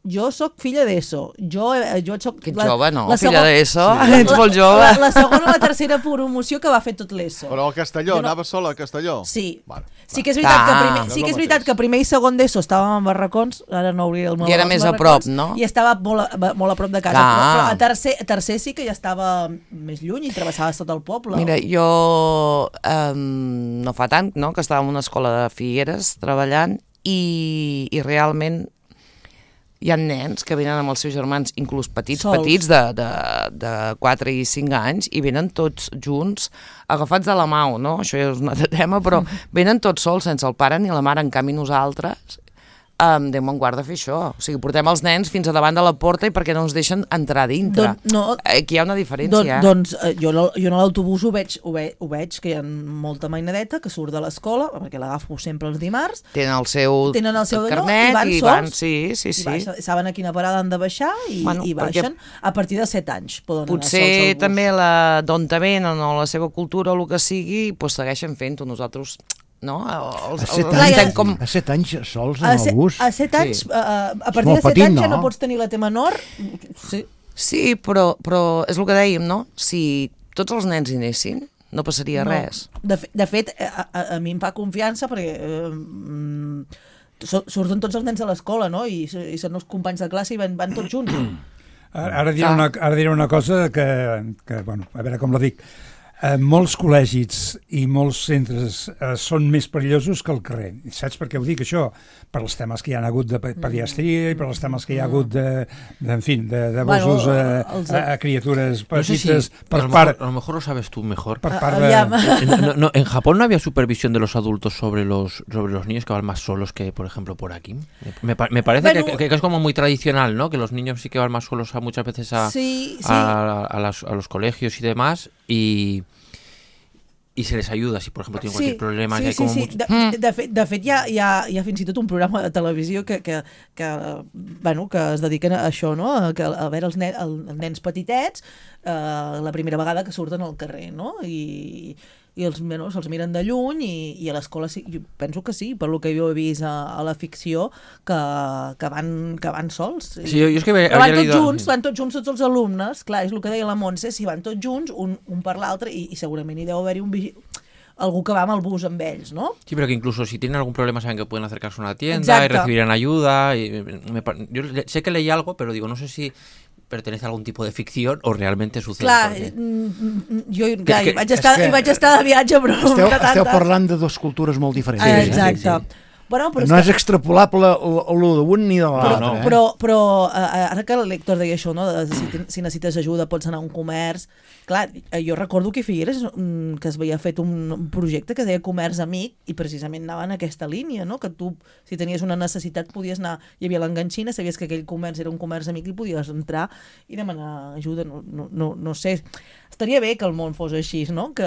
Jo sóc filla d'ESO. Jo, eh, jo soc... Que ets jove, no? la Filla segon- d'ESO, Sí. ets molt jove. La, la segona o la tercera promoció que va fer tot l'ESO. Però a Castelló, Jo no- anava sola a Castelló? Sí. Vale, Sí que és veritat, Ah. que primer, No és sí que el és veritat mateix. que primer i segon d'ESO estàvem en barracons, ara no hauria el meu I era més a prop, no? I estava molt a, molt a prop de casa, Clar. però, però a tercer, a tercer sí que ja estava més lluny i travessaves tot el poble. Mira, jo eh, no fa tant, no?, que estava en una escola de Figueres treballant i, i realment hi ha nens que venen amb els seus germans, inclús petits, Sols. petits, de, de, de quatre i cinc anys, i venen tots junts, agafats de la mà, no? Això ja és un altre tema, però venen tots sols, sense el pare ni la mare. En canvi, nosaltres Um, Déu me'n guarda fer això. O sigui, portem els nens fins a davant de la porta i perquè no ens deixen entrar dintre. Don, no, Aquí hi ha una diferència. Don, eh? Doncs eh, jo, no, jo en l'autobús ho veig, ho, ve, ho veig, que hi ha molta mainadeta que surt de l'escola, perquè l'agafo sempre els dimarts. Tenen el seu, tenen el seu carnet i van i sols, van, sí, sí, i sí. baixen, saben a quina parada han de baixar i, Bueno, i baixen a partir de set anys. Poden Potser anar sols al bus. també la, d'on te venen o la seva cultura o el que sigui, pues segueixen fent-ho. Nosaltres, no? Els, A set els, anys, estem com... a set anys sols A, en set, el bus? a set anys, Sí. sí. a, a partir molt de set petit, anys ja no? no pots tenir la T menor. Sí. Sí, però, però és el que dèiem, no? Si tots els nens hi anessin, no passaria No. res. De, fe, de fet, a, a, a mi em fa confiança perquè eh, mm, so- surten tots els nens de l'escola, no? I, i són els companys de classe i van, van tots junts. Ara, ara, diré una, ara diré una cosa que, que, bueno, a veure com la dic. Eh, molts col·legis i molts centres eh, són més perillosos que el carrer. I saps per què ho dic, això? Per els temes que hi ha hagut de pediatria i per els temes que hi ha hagut de, de en fin, de, de abusos Bueno, a, els- a, a criatures No sé si, petites a, per lo part, mejor, a lo mejor lo sabes tú mejor. per Ah, part de... aviam. En, no, no, en Japón no había supervisión de los adultos sobre los sobre los niños que van más solos que, por ejemplo, por aquí. Me, pa- me parece Bueno, que, que es como muy tradicional, ¿no? Que los niños sí que van más solos a, muchas veces a, Sí, sí. a, a las- a los colegios y demás y, y se les ayuda si, por ejemplo, tienen cualquier problema. sí, y hay sí, como sí. mucho- De, de, fet, de fet hi, ha, hi, ha, hi ha fins i tot un programa de televisió que, que, que, bueno, que es dediquen a això, no? A, que, a veure els, nen, els nens petitets eh, la primera vegada que surten al carrer, no? I, i els, bueno, se'ls miren de lluny i, i a l'escola sí, jo penso que sí, per lo que jo he vist a, a la ficció, que, que, van, que van sols. Sí, yo, yo es que me Però había van tots leído- junts, van tots junts tots els alumnes, clar, és el que deia la Montse, si van tots junts, un, un per l'altre, i, i segurament hi deu haver-hi un vigi... algú que va amb el bus amb ells, no? Sí, pero que incluso si tienen algún problema saben que pueden acercarse a una tienda Exacto. y recibirán ayuda. Y me pa- yo le- sé que leí algo, pero digo, no sé si pertenece a algún tipo de ficción o realmente sucede. Clar, porque- mm, mm, jo clar, que- hi, vaig estar, és que- hi vaig estar de viatge, però... Esteu, de tanta- esteu parlant de dues cultures molt diferents. Ah, eh? exacte. sí, Bueno, però, No és és que, extrapolable l'u d'un ni de però, l'altre. eh? però, però eh, ara que l'Héctor deia això, no? De, si, ten- si necessites ajuda pots anar a un comerç. Clar, eh, jo recordo que a Figueres mm, que es havia fet un, un projecte que deia Comerç Amic i precisament anava en aquesta línia, no? Que tu, si tenies una necessitat, podies anar... Hi havia l'enganxina, sabies que aquell comerç era un comerç amic i podies entrar i demanar ajuda. No, no, no, no sé... Estaria bé que el món fos així, no? Que,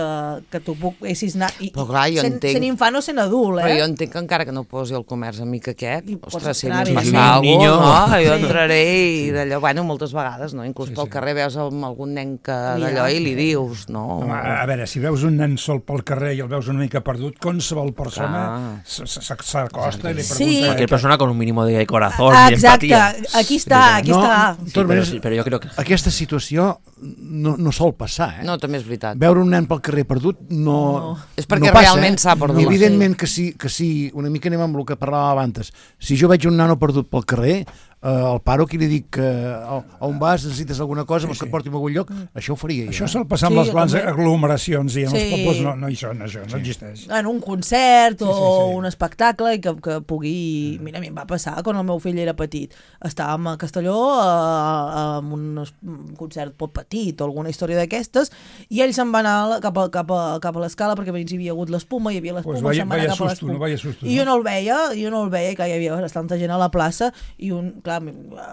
que tu poguessis anar... I, Però clar, jo sent, entenc- sent infant o sent adult, eh? Però jo entenc que encara que no posi el comerç amic aquest, I pots ostres, si entrar, m'hi evidentment. passa Un alguna niño. cosa, no? Jo Sí. entraré i d'allò, bueno, moltes vegades, no? Inclús pel carrer veus amb algun nen que d'allò i li dius, no? Home, a veure, si veus un nen sol pel carrer i el veus una mica perdut, qualsevol persona Clar. s- s- s'acosta i li Sí. pregunta... Cualquier persona con un mínimo de corazón Ah, y exacte, empatía. aquí està, aquí No, està. de Sí, totes pero, maneres, sí, pero yo creo que... aquesta situació no, no sol passar, eh? No, també és veritat. Veure un nen pel carrer perdut no, No. És perquè no passa, realment eh? s'ha perdut. I evidentment que sí, que sí, una mica anem amb el que parlàvem abans. Si jo veig un nano perdut pel carrer, eh, el paro aquí li dic que a, a on vas, necessites alguna cosa, vols que et porti a algun lloc, això ho faria jo. Això sol passar amb Sí, les grans també. aglomeracions i en els Sí. pobles no, no hi són, això, no existeix. En un concert o Sí, sí, sí. un espectacle i que, que pugui... Mira, a mi em va passar quan el meu fill era petit. Estàvem a Castelló a, a un, es- un concert pot petit o alguna història d'aquestes i ell se'n va anar a la- cap a, cap a, cap a l'escala perquè abans hi havia hagut l'espuma, hi havia l'espuma, Pues vaya- se'n va anar vaya cap a susto, l'espuma. no vaya susto, I jo no? no el veia, jo no el veia, que hi havia bastanta gent a la plaça i un, clar,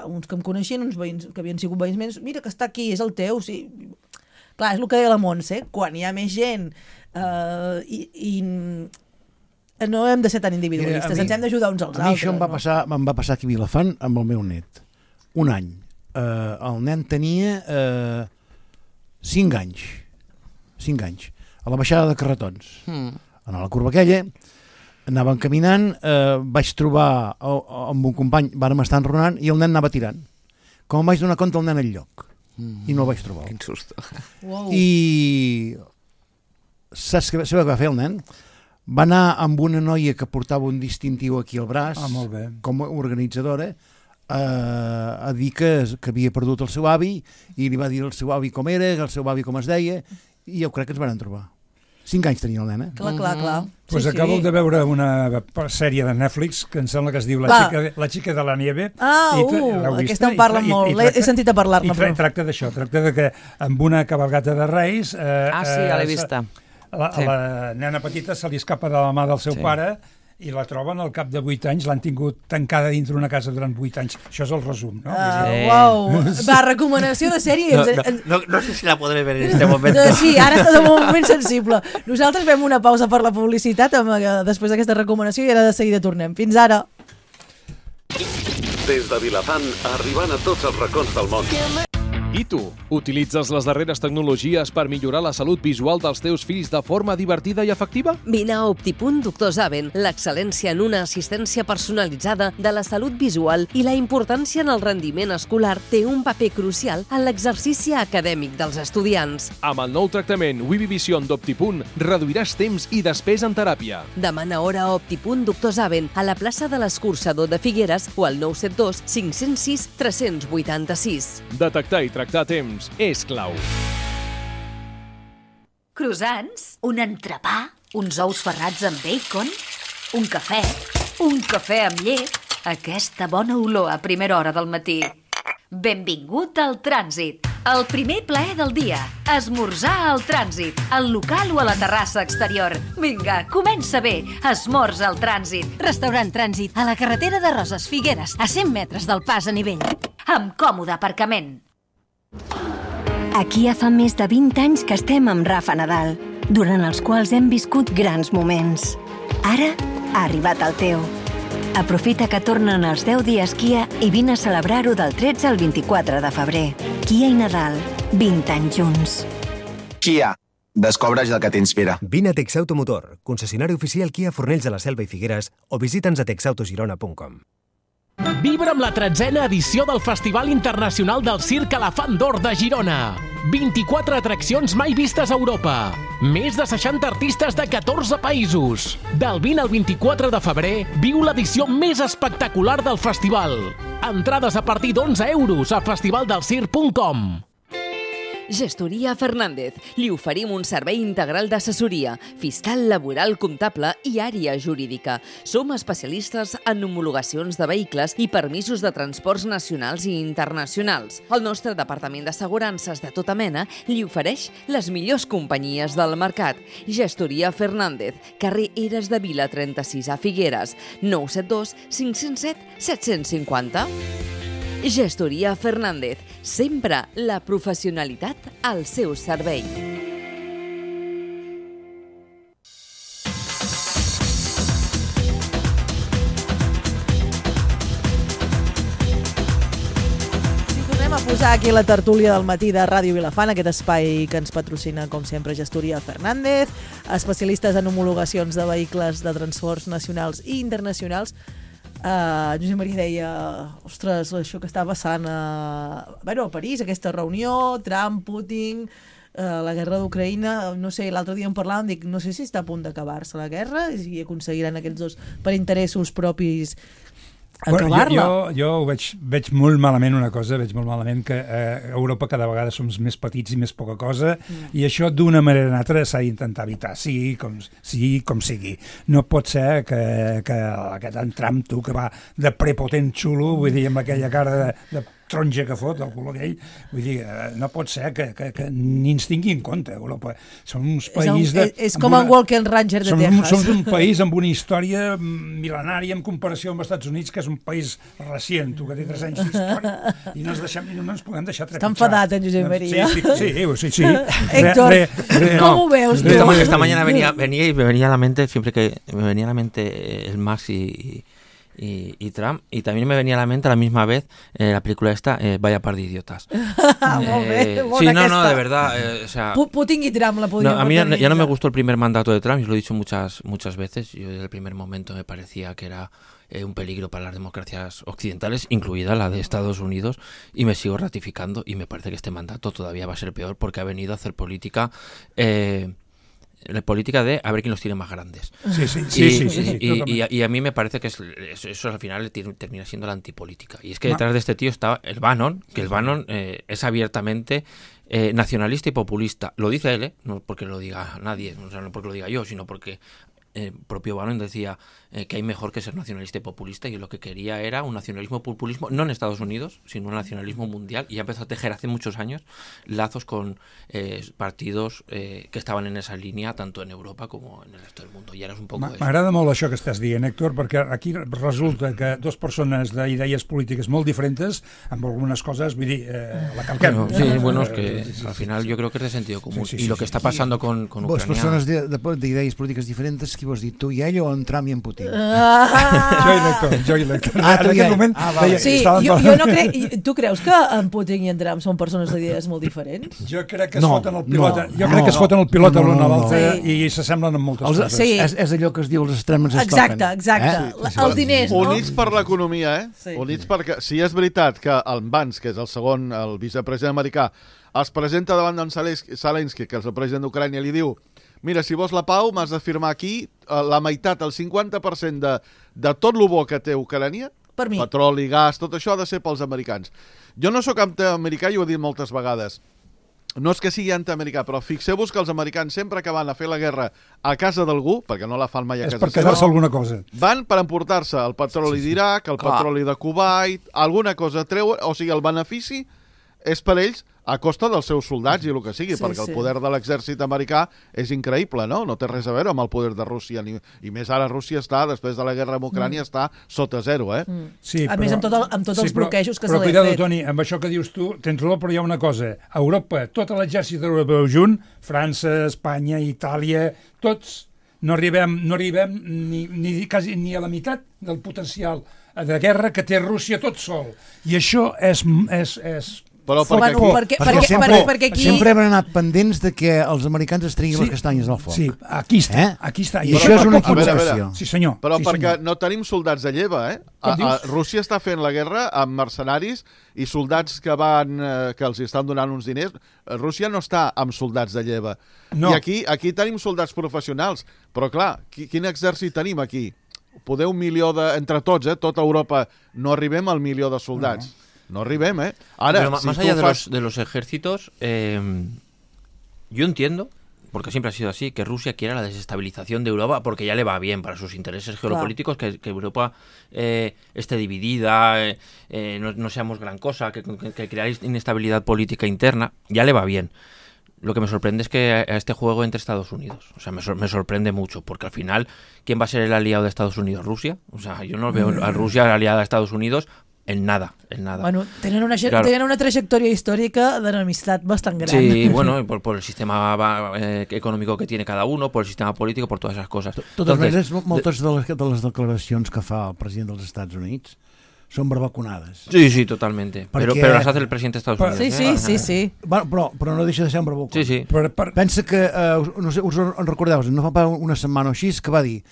uns que em coneixien, uns veïns que havien sigut veïns meus, mira que està aquí, és el teu, sí. Clar, és el que deia la Montse, quan hi ha més gent eh, i, i no hem de ser tan individualistes, Mira, a mi- ens hem d'ajudar uns als A mi altres. això em va, no? passar, em va passar aquí a Vilafant amb el meu net. Un any. Eh, el nen tenia eh, cinc anys. Cinc anys. A la baixada de Carretons. Mm. En la curva aquella, anàvem caminant, eh, vaig trobar oh, oh, amb un company, vàrem estar enronant i el nen anava tirant. Com em vaig donar compte, el nen al lloc. Mm. I no el vaig trobar. Quin susto. Uau. I saps què, sabeu què va fer el nen? Va anar amb una noia que portava un distintiu aquí al braç, Ah, molt bé. com a organitzadora, a, a dir que, que havia perdut el seu avi i li va dir al seu avi com era, el seu avi com es deia, i jo crec que ens van trobar. Cinc anys tenia el nen, eh? Clar, clar, clar. Pues Sí, acabo sí. de veure una sèrie de Netflix que em sembla que es diu La, Va. xica, de, la xica de la nieve. Ah, I tra- uh, l'heu vista? aquesta em I parla tra- i- molt. i L'he- tracta- he sentit a parlar-ne, I tra però- tracta d'això, tracta de que amb una cabalgata de Reis... Eh, Ah, sí, ja l'he eh, vista. La, Sí. la nena petita se li escapa de la mà del seu Sí. pare i la troben al cap de vuit anys, l'han tingut tancada dintre una casa durant vuit anys. Això és el resum, no? Uh, Sí. Uau, va, recomanació de sèrie. No, Ens- no, no, no sé si la podré ver en este momento. Eh, Sí, ara està en un moment sensible. Nosaltres fem una pausa per la publicitat amb, eh, després d'aquesta recomanació i ara de seguida tornem. Fins ara. Des de Vilafant, arribant a tots els racons del món. I tu, utilitzes les darreres tecnologies per millorar la salut visual dels teus fills de forma divertida i efectiva? Vine a Optipunt Doctor Zaven, l'excel·lència en una assistència personalitzada de la salut visual i la importància en el rendiment escolar té un paper crucial en l'exercici acadèmic dels estudiants. Amb el nou tractament Wibi Vision d'Optipunt reduiràs temps i despesa en teràpia. Demana hora a Optipunt Doctor Zaven a la plaça de l'Escurçador de Figueres o al nou set dos cinc zero sis tres vuit sis. Detectar i tractar a temps és clau. Croissants, un entrepà, uns ous ferrats amb bacon, un cafè, un cafè amb llet, aquesta bona olor a primera hora del matí. Benvingut al Trànsit, el primer plaer del dia, esmorzar al Trànsit, al local o a la terrassa exterior. Vinga, comença bé, esmorza al Trànsit. Restaurant Trànsit, a la carretera de Roses Figueres, a cent metres del pas a nivell. Amb còmode aparcament. Aquí ja fa més de vint anys que estem amb Rafa Nadal, durant els quals hem viscut grans moments. Ara ha arribat el teu. Aprofita que tornen els deu dies Kia i vine a celebrar-ho del tretze al vint-i-quatre de febrer. Kia i Nadal, vint anys junts. Kia. Descobreix el que t'inspira. Vine a Texauto Motor, concessionari oficial Kia Fornells de la Selva i Figueres, o visita'ns a texautogirona punt com. Vibra amb la tretzena edició del Festival Internacional del Circ Elefant d'Or de Girona. vint-i-quatre atraccions mai vistes a Europa. Més de seixanta artistes de catorze països. Del vint al vint-i-quatre de febrer, viu l'edició més espectacular del festival. Entrades a partir d'onze euros a festivaldelcirc punt com. Gestoria Fernández. Li oferim un servei integral d'assessoria, fiscal, laboral, comptable i àrea jurídica. Som especialistes en homologacions de vehicles i permisos de transports nacionals i internacionals. El nostre departament d'assegurances de tota mena li ofereix les millors companyies del mercat. Gestoria Fernández, carrer Eres de Vila trenta-sis a Figueres, nou set dos cinc zero set set cinc zero. Gestoria Fernández, sempre la professionalitat al seu servei. Tornem a posar aquí la tertúlia del matí de Ràdio Vilafant, aquest espai que ens patrocina, com sempre, Gestoria Fernández, especialistes en homologacions de vehicles de transports nacionals i internacionals. Uh, Josep Maria deia, ostres, això que està passant a, bueno, a París, aquesta reunió, Trump, Putin, uh, la guerra d'Ucraïna, no sé, l'altre dia en parlàvem, dic, no sé si està a punt d'acabar-se la guerra i aconseguiran aquests dos, per interessos propis, acabar-la. Bueno, jo, jo, jo ho veig, veig molt malament una cosa, veig molt malament que eh, a Europa cada vegada som més petits i més poca cosa, mm. i això d'una manera o una altra s'ha d'intentar evitar, sigui com, sigui com sigui. No pot ser que, que aquest en Trump, tu, que va de prepotent xulo, vull dir, amb aquella cara de, de taronja que fot, el color aquell, vull dir, no pot ser que, que, que ni ens tingui en compte, Europa. Som uns països... És, un, de, és com una, en Walker Ranger de som, Texas. Som un país amb una història mil·lenària en comparació amb els Estats Units, que és un país recient, tu, que té tres anys d'història, i no ens, deixem, no ens podem deixar trepitjar. Està enfadat, en Josep Maria. Sí, sí, sí. sí, sí. Héctor, re, re, re, ¿cómo no. veus tú? Esta, esta mañana venía, venía y me venía a la mente, siempre que me venía a la mente el Max y... Y, y Trump, y también me venía a la mente a la misma vez eh, la película esta, eh, Vaya par de idiotas. eh, sí, no, no, de verdad. Eh, o sea, Putin y Trump la podían no, a mí ya, ya no me gustó el primer mandato de Trump, y lo he dicho muchas, muchas veces. Yo desde el primer momento me parecía que era eh, un peligro para las democracias occidentales, incluida la de Estados Unidos, y me sigo ratificando, y me parece que este mandato todavía va a ser peor porque ha venido a hacer política... Eh, la política de a ver quién los tiene más grandes. Sí, sí, y, sí, sí, sí, sí, y, y, y a mí me parece que es, eso, eso al final termina siendo la antipolítica. Y es que detrás de este tío está el Bannon, que el Bannon eh, es abiertamente eh, nacionalista y populista. Lo dice él, ¿eh? No porque lo diga nadie, o sea, no porque lo diga yo, sino porque el propio Bannon decía eh, que hay mejor que ser nacionalista y populista, y lo que quería era un nacionalismo populismo, no en Estados Unidos, sino un nacionalismo mundial, y ya empezó a tejer hace muchos años lazos con eh, partidos eh, que estaven en esa línia, tanto en Europa com en el resto del mundo, i ara és un poc eso. M'agrada molt això que estàs dient, Héctor, perquè aquí resulta que dos persones d'idees polítiques molt diferents, amb algunes coses, vull dir, eh, la calquem. Bueno, sí, bueno, es que al final yo creo que es de sentido común, sí, sí, sí, y lo que está pasando con, con Ucrania... Vos, persones d'idees polítiques diferents, qui vols dir, tu i ell o en Trump i en Putin? Ah. Jo i l'Héctor, jo i l'Héctor. Ah, en aquest moment... Ah, vale. Sí, jo, jo no crec... Tu creus que en Putin i en Trump són persones d'idees molt diferents? Jo crec que es no, foten el pilot, no, jo crec no, que es foten el pilot no, a l'un no, a no, l'altre sí. i s'assemblen en moltes els, coses. Sí. És, és allò que es diu els extrems es exacte, toquen. exacte. Eh? Sí, sí. Els diners, no? Units per l'economia, eh? Sí. Units perquè, si és veritat que el Vance, que és el segon, el vicepresident americà, es presenta davant d'en Zelensky, que és el president d'Ucrània, li diu: mira, si vols la pau, m'has de firmar aquí la meitat, el cinquanta per cent de, de tot el bo que té Ucrània, per mi. Petroli, gas, tot això ha de ser pels americans. Jo no sóc antiamericà i ho he dit moltes vegades. No és que sigui antiamericà, però fixeu-vos que els americans, sempre que van a fer la guerra a casa d'algú, perquè no la fan mai a és casa per quedar-se seva, alguna cosa. van per emportar-se el petroli sí, sí. d'Iraq, el Clar. petroli de Kuwait, alguna cosa treu, o sigui, el benefici és per ells a costa dels seus soldats i el que sigui, Sí, perquè sí. el poder de l'exèrcit americà és increïble, no? No té res a veure amb el poder de Rússia, ni, i més ara Rússia està, després de la guerra amb Ucrània, mm. està sota zero, eh? Mm. Sí, a però, més, amb, tot el, amb tots sí, els però, bloquejos que però, se li ha cuidado, fet. Toni, amb això que dius tu, tens raó, però hi ha una cosa. A Europa, tot l'exèrcit europeu junt, França, Espanya, Itàlia, tots, no arribem, no arribem ni, ni, quasi, ni a la meitat del potencial de guerra que té Rússia tot sol. I això és... és, és Però perquè, Bueno, perquè, perquè, sempre, perquè, perquè aquí... sempre hem anat pendents de que els americans es treguin Sí, les castanyes del foc. sí, aquí està, Eh? aquí està. I això és una A veure, a veure. concessió. Sí, senyor. Però sí, perquè senyor. no tenim soldats de lleva, eh? A, Com a, dius? Rússia està fent la guerra amb mercenaris i soldats que van eh, que els estan donant uns diners. Rússia no està amb soldats de lleva. No. I aquí aquí tenim soldats professionals. Però clar, qui, quin exèrcit tenim aquí? Poder un milió de... Entre tots, eh? Tota Europa, no arribem al milió de soldats. No. No arribem, ¿eh? Ahora, Pero si más tú allá de, fas... los, de los ejércitos, eh, yo entiendo, porque siempre ha sido así, que Rusia quiera la desestabilización de Europa, porque ya le va bien para sus intereses geopolíticos, que, que Europa eh, esté dividida, eh, eh, no, no seamos gran cosa, que, que, que crear inestabilidad política interna, ya le va bien. Lo que me sorprende es que a este juego entre Estados Unidos. O sea, me, sor me sorprende mucho, porque al final, ¿quién va a ser el aliado de Estados Unidos? ¿Rusia? O sea, yo no veo a Rusia aliada a Estados Unidos en nada, en nada. Bueno, tenen una, Claro. tenen una trajectòria històrica d'enemistat bastant gran. Sí, bueno, por, por el sistema eh, económico que tiene cada uno, por el sistema político, por todas esas cosas. De totes Entonces, maneres, moltes de les, de les declaracions que fa el president dels Estats Units són barbaconades. Sí, sí, totalmente. Perquè... Pero, pero las hace el presidente de Estados Unidos. Sí, sí, ¿eh? sí, sí. Bueno, però, però no deixa de ser un barbacón. Sí, sí. Per, per... Pensa que, eh, no sé, us en recordeu, no fa una setmana o així, que va dir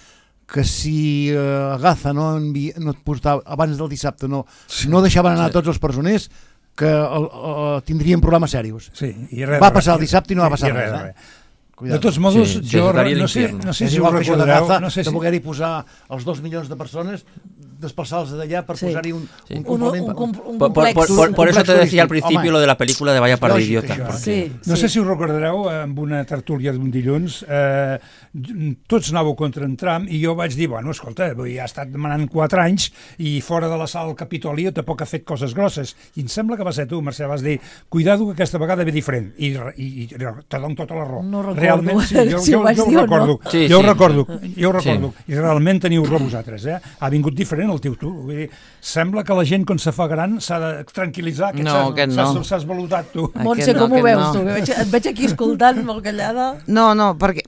que si eh, Gaza no, envi... no et portava, abans del dissabte no, Sí. no deixaven anar Sí. tots els presoners, que el, el, tindrien problemes serios. Sí, i res, va res, passar el dissabte i no va i passar res, res. res. Eh? De tots modos, Sí, jo estaria no sé, l'infierno. no sé És si ho igual que això de recordareu, Gaza, no sé de si... voler-hi posar els dos milions de persones, desplaçar-los d'allà per Sí. posar-hi un, Sí. un Un, un, complement. un, un Por, por, complex. por, por, por eso te complex decía al turístic. principio Home, lo de la película de Vaya par de lògic, idiota. això. porque- Sí, No sí. sé si us recordareu, amb una tertúlia d'un dilluns, eh, tots anàveu contra en Trump i jo vaig dir, bueno, escolta, vull dir, ha estat demanant quatre anys i fora de la sala del Capitoli tampoc ha fet coses grosses. I em sembla que va ser tu, Mercè, vas dir, cuidado que aquesta vegada ve diferent. I, i, i te dono tota la raó. No recordo Realment, sí, jo, si jo, ho vaig jo ho dir o no. recordo. Sí, jo ho sí. recordo, jo ho recordo. Sí. I realment teniu raó vosaltres, eh? Ha vingut diferent el teu tu. Vull dir, sembla que la gent, quan se fa gran, s'ha de tranquil·litzar. Que No, s'has- aquest s'has- no. S'has valutat, tu. Montse, Aquest no, com ho aquest veus no. tu? Que veig, et veig aquí escoltant molt callada. No, no, perquè,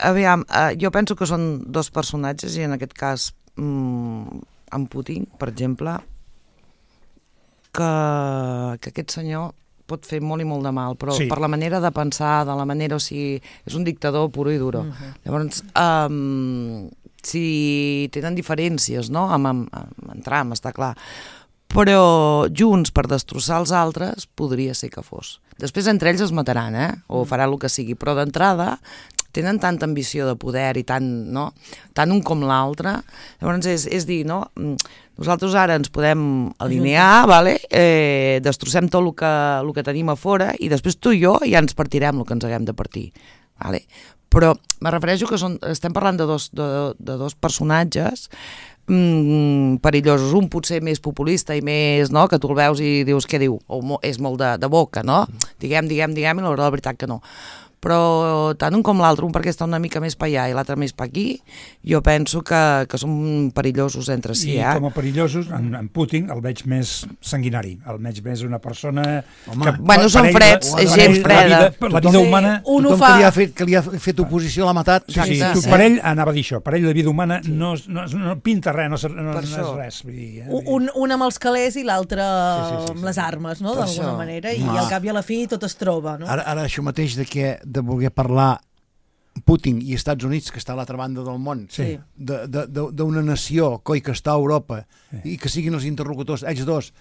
aviam, eh, jo penso que són dos personatges i en aquest cas mm, en Putin, per exemple, que, que aquest senyor pot fer molt i molt de mal, però Sí. per la manera de pensar, de la manera, o sigui, és un dictador puro i duro. Mhm. Llavors, um, si tenen diferències, no?, amb, amb, amb en Trump, està clar, però junts per destrossar els altres podria ser que fos. Després entre ells es mataran, eh? O faran el que sigui, però d'entrada tenen tanta ambició de poder i tant, no? Tant un com l'altre. Llavors és, és dir, no? Nosaltres ara ens podem alinear, vale? eh, destrossem tot el que, el que tenim a fora i després tu i jo ja ens partirem el que ens haguem de partir. Vale? Però me refereixo que són, estem parlant de dos, de, de dos personatges mm, perillosos. Un potser més populista i més, no?, que tu el veus i dius què diu, o mo, és molt de, de boca, no? Diguem, diguem, diguem, i la veritat que no. Però tant un com l'altre, un perquè està una mica més per allà i l'altre més per aquí, jo penso que, que són perillosos entre si. I eh? com a perillosos, en, en Putin el veig més sanguinari, el veig més una persona... Home, que, bueno, són freds, la, és gent freda. La vida, la vida humana... Un tothom fa... que, li ha fet, que li ha fet oposició l'ha matat. Sí, sí, tu, per ell, anava a dir això, per ell la vida humana no, no, no pinta res, no, no, no és res. Vull dir, eh? un, un amb els calés i l'altre sí, sí, sí, sí, amb les armes, no?, d'alguna manera, i ah. al cap i a la fi tot es troba, no? Ara, ara això mateix de, que, de voler parlar Putin i Estats Units, que està a l'altra banda del món, sí. d'una nació, coi, que està a Europa, sí. i que siguin els interlocutors, ells dos,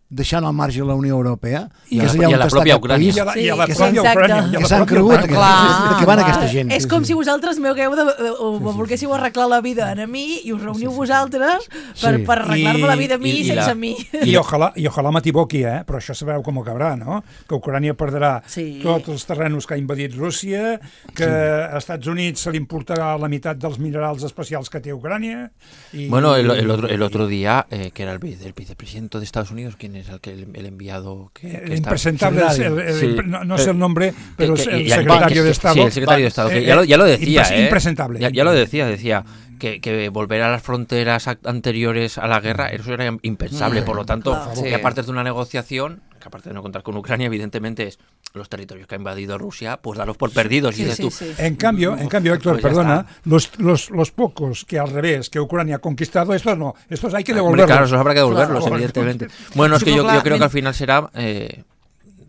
deixant al marge la Unió Europea, i, que és allà on està aquest país, i a la, i a la pròpia Ucrània, que s'han cregut, que, que van aquesta gent. És com si vosaltres m'ho hagueu de, o volguéssiu arreglar la vida a mi i us reuniu vosaltres per, sí. per arreglar-me la vida a mi i, i sense la, mi. I ojalà, i ojalà m'equivoqui, eh? Però això sabeu com acabarà, no? Que Ucrània perdrà sí. tots els terrenos que ha invadit Rússia, que sí. a Estats Units se li importarà la meitat dels minerals especials que té Ucrània. Y, bueno, el, el, otro, el otro día, eh, que era el, el vicepresidente de Estados Unidos, ¿quién es el que el, el enviado que, que el está... impresentable, el, el, sí. no, no sé el nombre, pero que, que, el secretario que, de Estado. Sí, el secretario de Estado, que ya, lo, ya lo decía, impres, ¿eh? Impresentable. Ya, ya lo decía, decía que, que volver a las fronteras anteriores a la guerra, eso era impensable, por lo tanto, claro, que aparte de una negociación, que aparte de no contar con Ucrania, evidentemente es los territorios que ha invadido Rusia, pues darlos por perdidos. Sí, y dices sí, tú, sí. En cambio, en cambio, Héctor, pues perdona, los, los, los pocos que al revés, que Ucrania ha conquistado, estos no, estos hay que devolverlos. Claro, esos habrá que devolverlos, claro, evidentemente. Bueno, es que yo, claro, yo creo que al final será... Eh,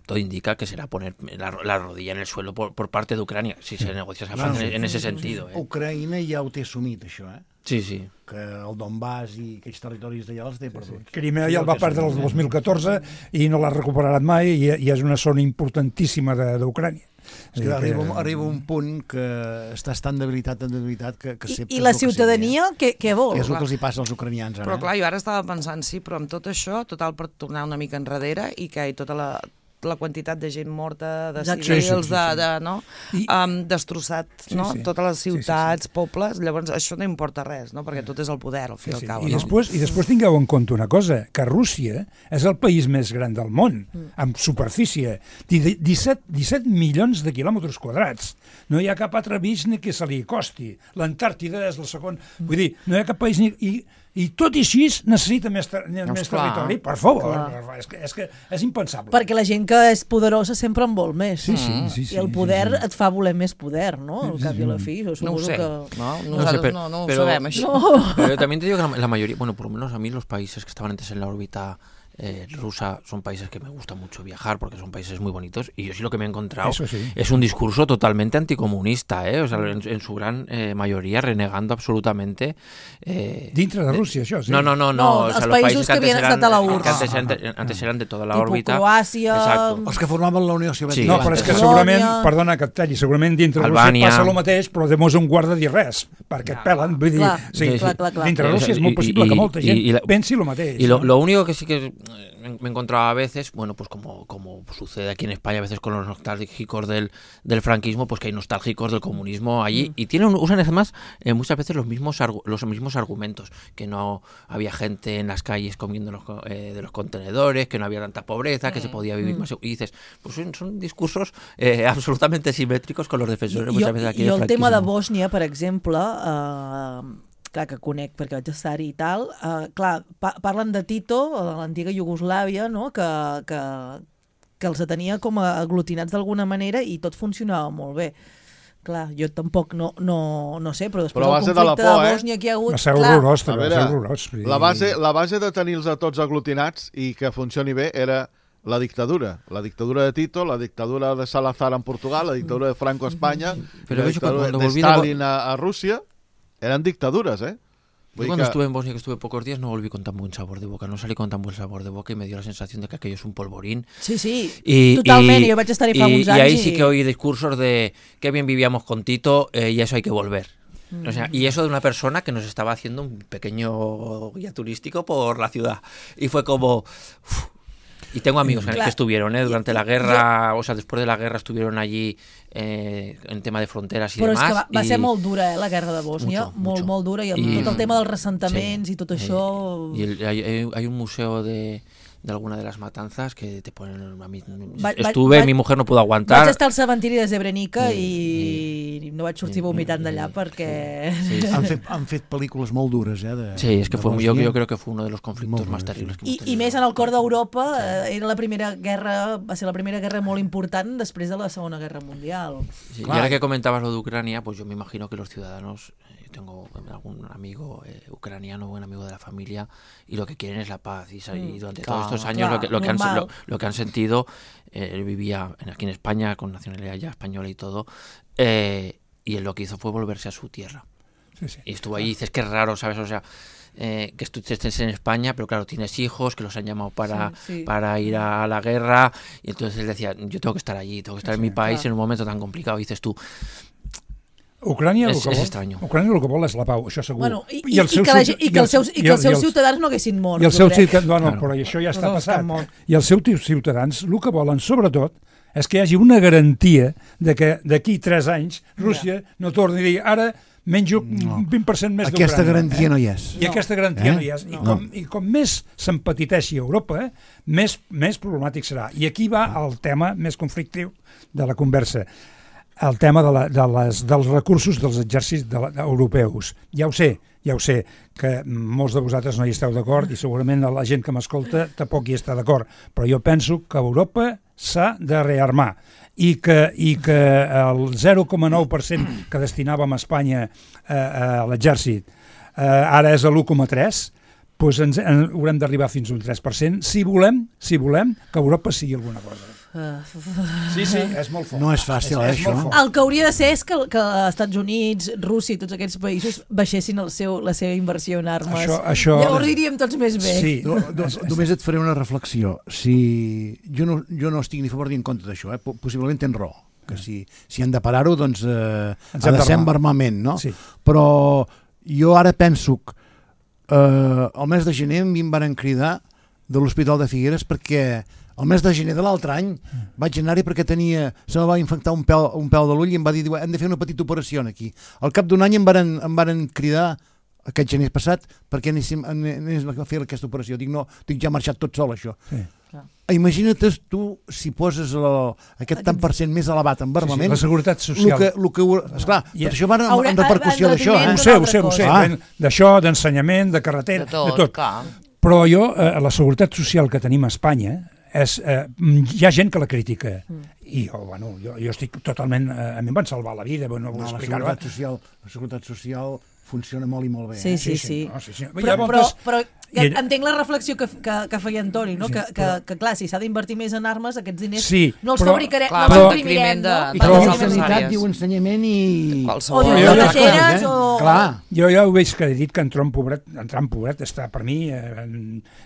todo indica que será poner la, la rodilla en el suelo por, por parte de Ucrania, si se negocia esa fase, en, en ese sentido. Eh. Ucraïna ja ho té assumit, això, eh? Sí, sí. Que el Donbass i aquells territoris d'allà els té perduts. Sí, sí. Crimea ja el va perdre el dos mil catorze i no l'ha recuperat mai i, i és una zona importantíssima d'Ucrània. És que arriba, arriba un punt que estàs tan debilitat, tan debilitat que, que I, i la ciutadania, què, què vol? És el que els hi passa als ucranians ara. Però clar, jo ara estava pensant, sí, però amb tot això, total per tornar una mica enrere i que hi tota la... la quantitat de gent morta, de civils, sí, sí, sí, sí. de, de, no? Um, destrossat, no? Sí, sí. Totes les ciutats, sí, sí, sí. pobles, llavors això no importa res, no? Perquè tot és el poder, al fi i sí, al cabo. I, no? després, I després tingueu en compte una cosa, que Rússia és el país més gran del món, mm. amb superfície, disset, disset milions de quilòmetres quadrats. No hi ha cap altre país ni que se li costi. L'Antàrtida és el segon... Mm. Vull dir, no hi ha cap país ni... I, I tot i així necessita més, ter més no, territori, per favor. És que, és que és impensable. Perquè la gent que és poderosa sempre en vol més. Sí, sí, sí, sí, I el poder sí, sí. et fa voler més poder, no? Al cap i a la fi. No ho sé. Que... No, no, sé, pero, no, no ho pero, sabem, això. No. Pero también te digo que la, la mayoría, bueno, por lo menos a mí los países que estaban antes en la órbita Eh, rusa son países que me gusta mucho viajar porque son países muy bonitos y yo sí lo que me he encontrado sí. es un discurso totalmente anticomunista, ¿eh? O sea, en, en su gran eh, mayoría renegando absolutamente eh, dintre de Rusia, això, sí. No, no, no, no, no o sea, los països países que, que antes eran, a la U R que antes, eran de, antes eran de toda la tipo órbita. Croàcia... Exacto. Els que formaven la Unió Soviètica. Sí. No, però és que segurament, perdona que et talli, segurament dintre de Rússia passa el mateix, però de mos un guarda dir res, perquè et pelen, vull dir, clar, sí, clar, clar, clar. dintre de Rússia és molt possible y, que molta gent y, y la, pensi el mateix. Y lo, ¿no? lo único que sí que me he encontrado a veces, bueno, pues como, como sucede aquí en España a veces con los nostálgicos del, del franquismo, pues que hay nostálgicos del comunismo allí, mm. y tienen usan además eh, muchas veces los mismos los mismos argumentos, que no había gente en las calles comiendo los, eh, de los contenedores, que no había tanta pobreza, mm. que se podía vivir mm. más, y dices, pues son, son discursos eh, absolutamente simétricos con los defensores muchas veces aquí del franquismo. I el tema de Bòsnia, per exemple, eh, clar, que conec perquè vaig estar-hi i tal, uh, clar, pa parlen de Tito, de l'antiga Iugoslàvia, no? que, que, que els tenia com a aglutinats d'alguna manera i tot funcionava molt bé. Clar, jo tampoc no, no, no sé, però després però del conflicte de, de, por, de Bòsnia eh? que hi ha hagut... Va ser horrorós, però va ser horrorós. La base, la base de tenir-los a tots aglutinats i que funcioni bé era la dictadura. La dictadura de Tito, la dictadura de Salazar en Portugal, la dictadura de Franco a España, pero la dictadura de Stalin a, a Rusia. Eran dictaduras, ¿eh? Yo cuando que... estuve en Bosnia, que estuve pocos días, no volví con tan buen sabor de boca. No salí con tan buen sabor de boca y me dio la sensación de que aquello es un polvorín. Sí, sí, y, totalment. Y, yo vaig estar-hi fa y, uns anys. Y ahí sí que oí discursos de qué bien vivíamos con Tito eh, y a eso hay que volver. O sea, y eso de una persona que nos estaba haciendo un pequeño guía turístico por la ciudad. Y fue como... Uf, Y tengo amigos que, que estuvieron, ¿eh? Durante la guerra, o sea, después de la guerra estuvieron allí eh, en tema de fronteras y Però demás. Però és que va, va y... ser molt dura, eh, la guerra de Bòsnia, mucho, molt, mucho. molt dura, i amb y, tot el tema dels ressentaments sí, i tot això... Eh, y el, hay, hay un museo de... de alguna de las matanzas que te ponen a mí, va, estuve, va, mi mujer no pudo aguantar. Vaig estar al cementiri de Srebrenica i, i no vaig sortir vomitant d'allà perquè... Sí, sí. Han, fet, han fet pel·lícules molt dures, eh? De, sí, es que fue, yo, yo creo que fue uno de los conflictos más terribles que I, i més en el cor d'Europa, eh, era la primera guerra, va ser la primera guerra molt important després de la Segona Guerra Mundial. Sí, y ahora que comentabas lo de Ucrania, pues yo me imagino que los ciudadanos, yo tengo algún amigo eh, ucraniano, buen amigo de la familia, y lo que quieren es la paz, y, y durante claro, todos estos años claro, lo, que, lo, que han, lo, lo que han sentido, eh, él vivía aquí en España con nacionalidad ya española y todo, eh, y él lo que hizo fue volverse a su tierra. Sí, sí, y estuvo claro. ahí, dices que es raro, ¿sabes? O sea, eh, que tú estés en España, pero claro, tienes hijos que los han llamado para, sí, sí. para ir a la guerra, y entonces él decía, yo tengo que estar allí, tengo que estar sí, en mi país claro. en un momento tan complicado, y dices tú, Ucrània és, el que vol, és estrany. Ucrània el que vol és la pau, això segur. Bueno, i, I, i, que la, i que els seus, i que els seus ciutadans no haguessin mort. I els seus ciutadans, no, no, però això ja està passat. I els seus ciutadans el que volen, sobretot, és que hi hagi una garantia de que d'aquí tres anys Rússia no torni a dir ara menjo un vint per cent més d'Ucrània. Aquesta garantia no hi és. I aquesta garantia no hi és. I com, i com més s'empetiteixi Europa, eh, més, més problemàtic serà. I aquí va el tema més conflictiu de la conversa. El tema de la, de les, dels recursos dels exèrcits de la, de, europeus. Ja ho sé, ja ho sé, que molts de vosaltres no hi esteu d'acord i segurament la gent que m'escolta tampoc hi està d'acord, però jo penso que Europa s'ha de rearmar i que, i que el zero coma nou per cent que destinàvem a Espanya eh, a l'exèrcit eh, ara és l'u coma tres, doncs ens, en, haurem d'arribar fins a un tres per cent si volem, si volem que Europa sigui alguna cosa. Sí, sí, és molt fort. No és fàcil, és, és això. El que hauria de ser és que, que els Estats Units, Rússia i tots aquests països baixessin el seu, la seva inversió en armes. Això, això... Llavors iríem tots més bé. Sí, no, no, només et faré una reflexió. Si... Jo, no, jo no estic ni a favor ni en contra d'això, eh? Possiblement tens raó. Que si, si han de parar-ho, doncs eh, ha de ser amb armament, no? Sí. Però jo ara penso que eh, el mes de gener a mi em van cridar de l'Hospital de Figueres perquè el mes de gener de l'altre any vaig anar-hi perquè tenia, se me va infectar un pèl, un pèl de l'ull i em va dir, hem de fer una petita operació aquí. Al cap d'un any em varen, em varen cridar aquest gener passat perquè anéssim, anéssim a fer aquesta operació. Dic, no, dic, ja ha marxat tot sol això. Sí. Imagina't tu si poses el, aquest tant per cent més elevat en armament. Sí, sí, la seguretat social. Que, lo que, esclar, yeah. tot això va en, en repercussió d'això. Eh? Ho sé, ho sé, ho sé. Ah. D'això, d'ensenyament, de carretera, de tot. De tot. Però jo, eh, la seguretat social que tenim a Espanya, és, eh, hi ha gent que la critica mm. i jo, bueno, jo, jo estic totalment eh, a mi em van salvar la vida, bueno, no, no, la, seguretat social, la seguretat social funciona molt i molt bé. Sí, eh? sí, sí. sí. No, sí, sí. Però, però, però ja entenc la reflexió que, que, que feia Antoni, no? Sí, que, que, però... que clar, si s'ha d'invertir més en armes, aquests diners sí, no els però, fabricarem, clar, no els imprimirem, no? I però la sanitat diu ensenyament i... O diu protegeres o... Clar. Jo ja ho veig que he dit que en Trump pobret, en Trump pobret està per mi, eh,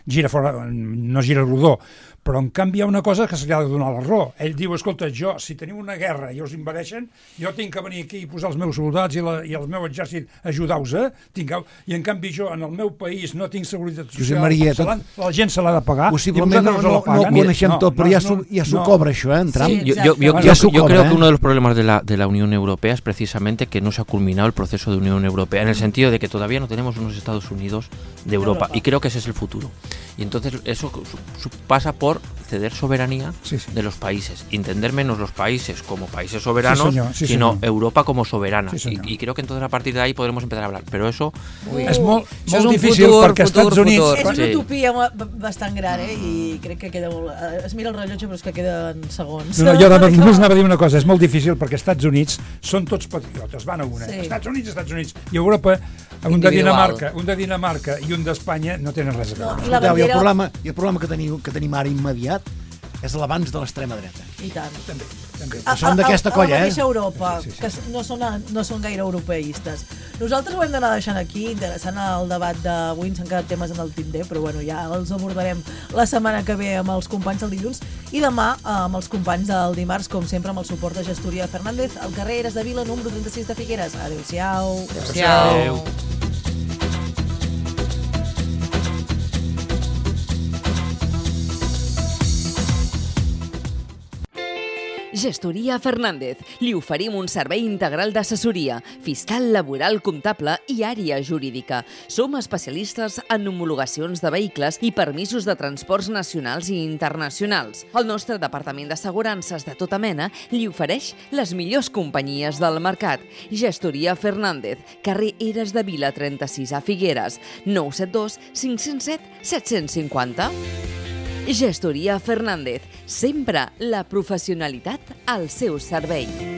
gira fora, no gira rodó, però en canvi hi ha una cosa que se li ha de donar la raó. Ell diu, escolta, jo, si teniu una guerra i us invadeixen, jo tinc que venir aquí i posar els meus soldats i, la, i el meu exèrcit, ajudar-vos, eh? Tingueu... I en canvi jo, en el meu país, no tinc seguretat social. Josep Maria, tot... la gent se l'ha de pagar. Possiblement no, no, no ho coneixem tot, però ja s'ho ja no, cobra això, eh, en Trump. Sí, yo, yo, yo, yo, yo, yo creo que uno de los problemas de la, de la Unión Europea es precisamente que no se ha culminado el proceso de Unión Europea, en el sentido de que todavía no tenemos unos Estados Unidos de Europa, y creo que ese es el futuro. Y entonces eso pasa por ceder soberanía sí, sí. de los países, entender menos los países como países soberanos, sí, señor, sí, señor. sino Europa como soberana. Sí, y, y creo que entonces a partir de ahí podremos empezar a hablar. Pero eso Ui. és molt, molt és difícil futur, perquè als Estats Units... És una utopia bastant gran, eh? I crec que queda molt... Es mira el rellotge però és que queden segons. No, no, jo només anava a dir una cosa, és molt difícil perquè als Estats Units són tots patriotes, van a una. Sí. Estats Units, Estats Units. I Europa, un de Dinamarca, un de Dinamarca i un d'Espanya no tenen res a veure. No, i, bandera... I el problema, i el problema que, tenim, que tenim ara immediat és l'abans de l'extrema dreta. I tant. També, també. Que són d'aquesta colla, eh? A la mateixa Europa, sí, sí, sí. que no són, no són gaire europeistes. Nosaltres ho hem d'anar deixant aquí, interessant el debat d'avui, ens han quedat temes en el Tinder, però bueno, ja els abordarem la setmana que ve amb els companys del dilluns i demà amb els companys del dimarts, com sempre, amb el suport de Gestoria Fernández, al carrer Eres de Vila, número trenta-sis de Figueres. Adéu-siau. Adéu-siau. Adéu. Gestoria Fernández. Li oferim un servei integral d'assessoria, fiscal, laboral, comptable i àrea jurídica. Som especialistes en homologacions de vehicles i permisos de transports nacionals i internacionals. El nostre departament d'assegurances de tota mena li ofereix les millors companyies del mercat. Gestoria Fernández, carrer Eres de Vila trenta-sis a Figueres, nou set dos cinc zero set set cinc zero. Gestoria Fernández, sempre la professionalitat al seu servei.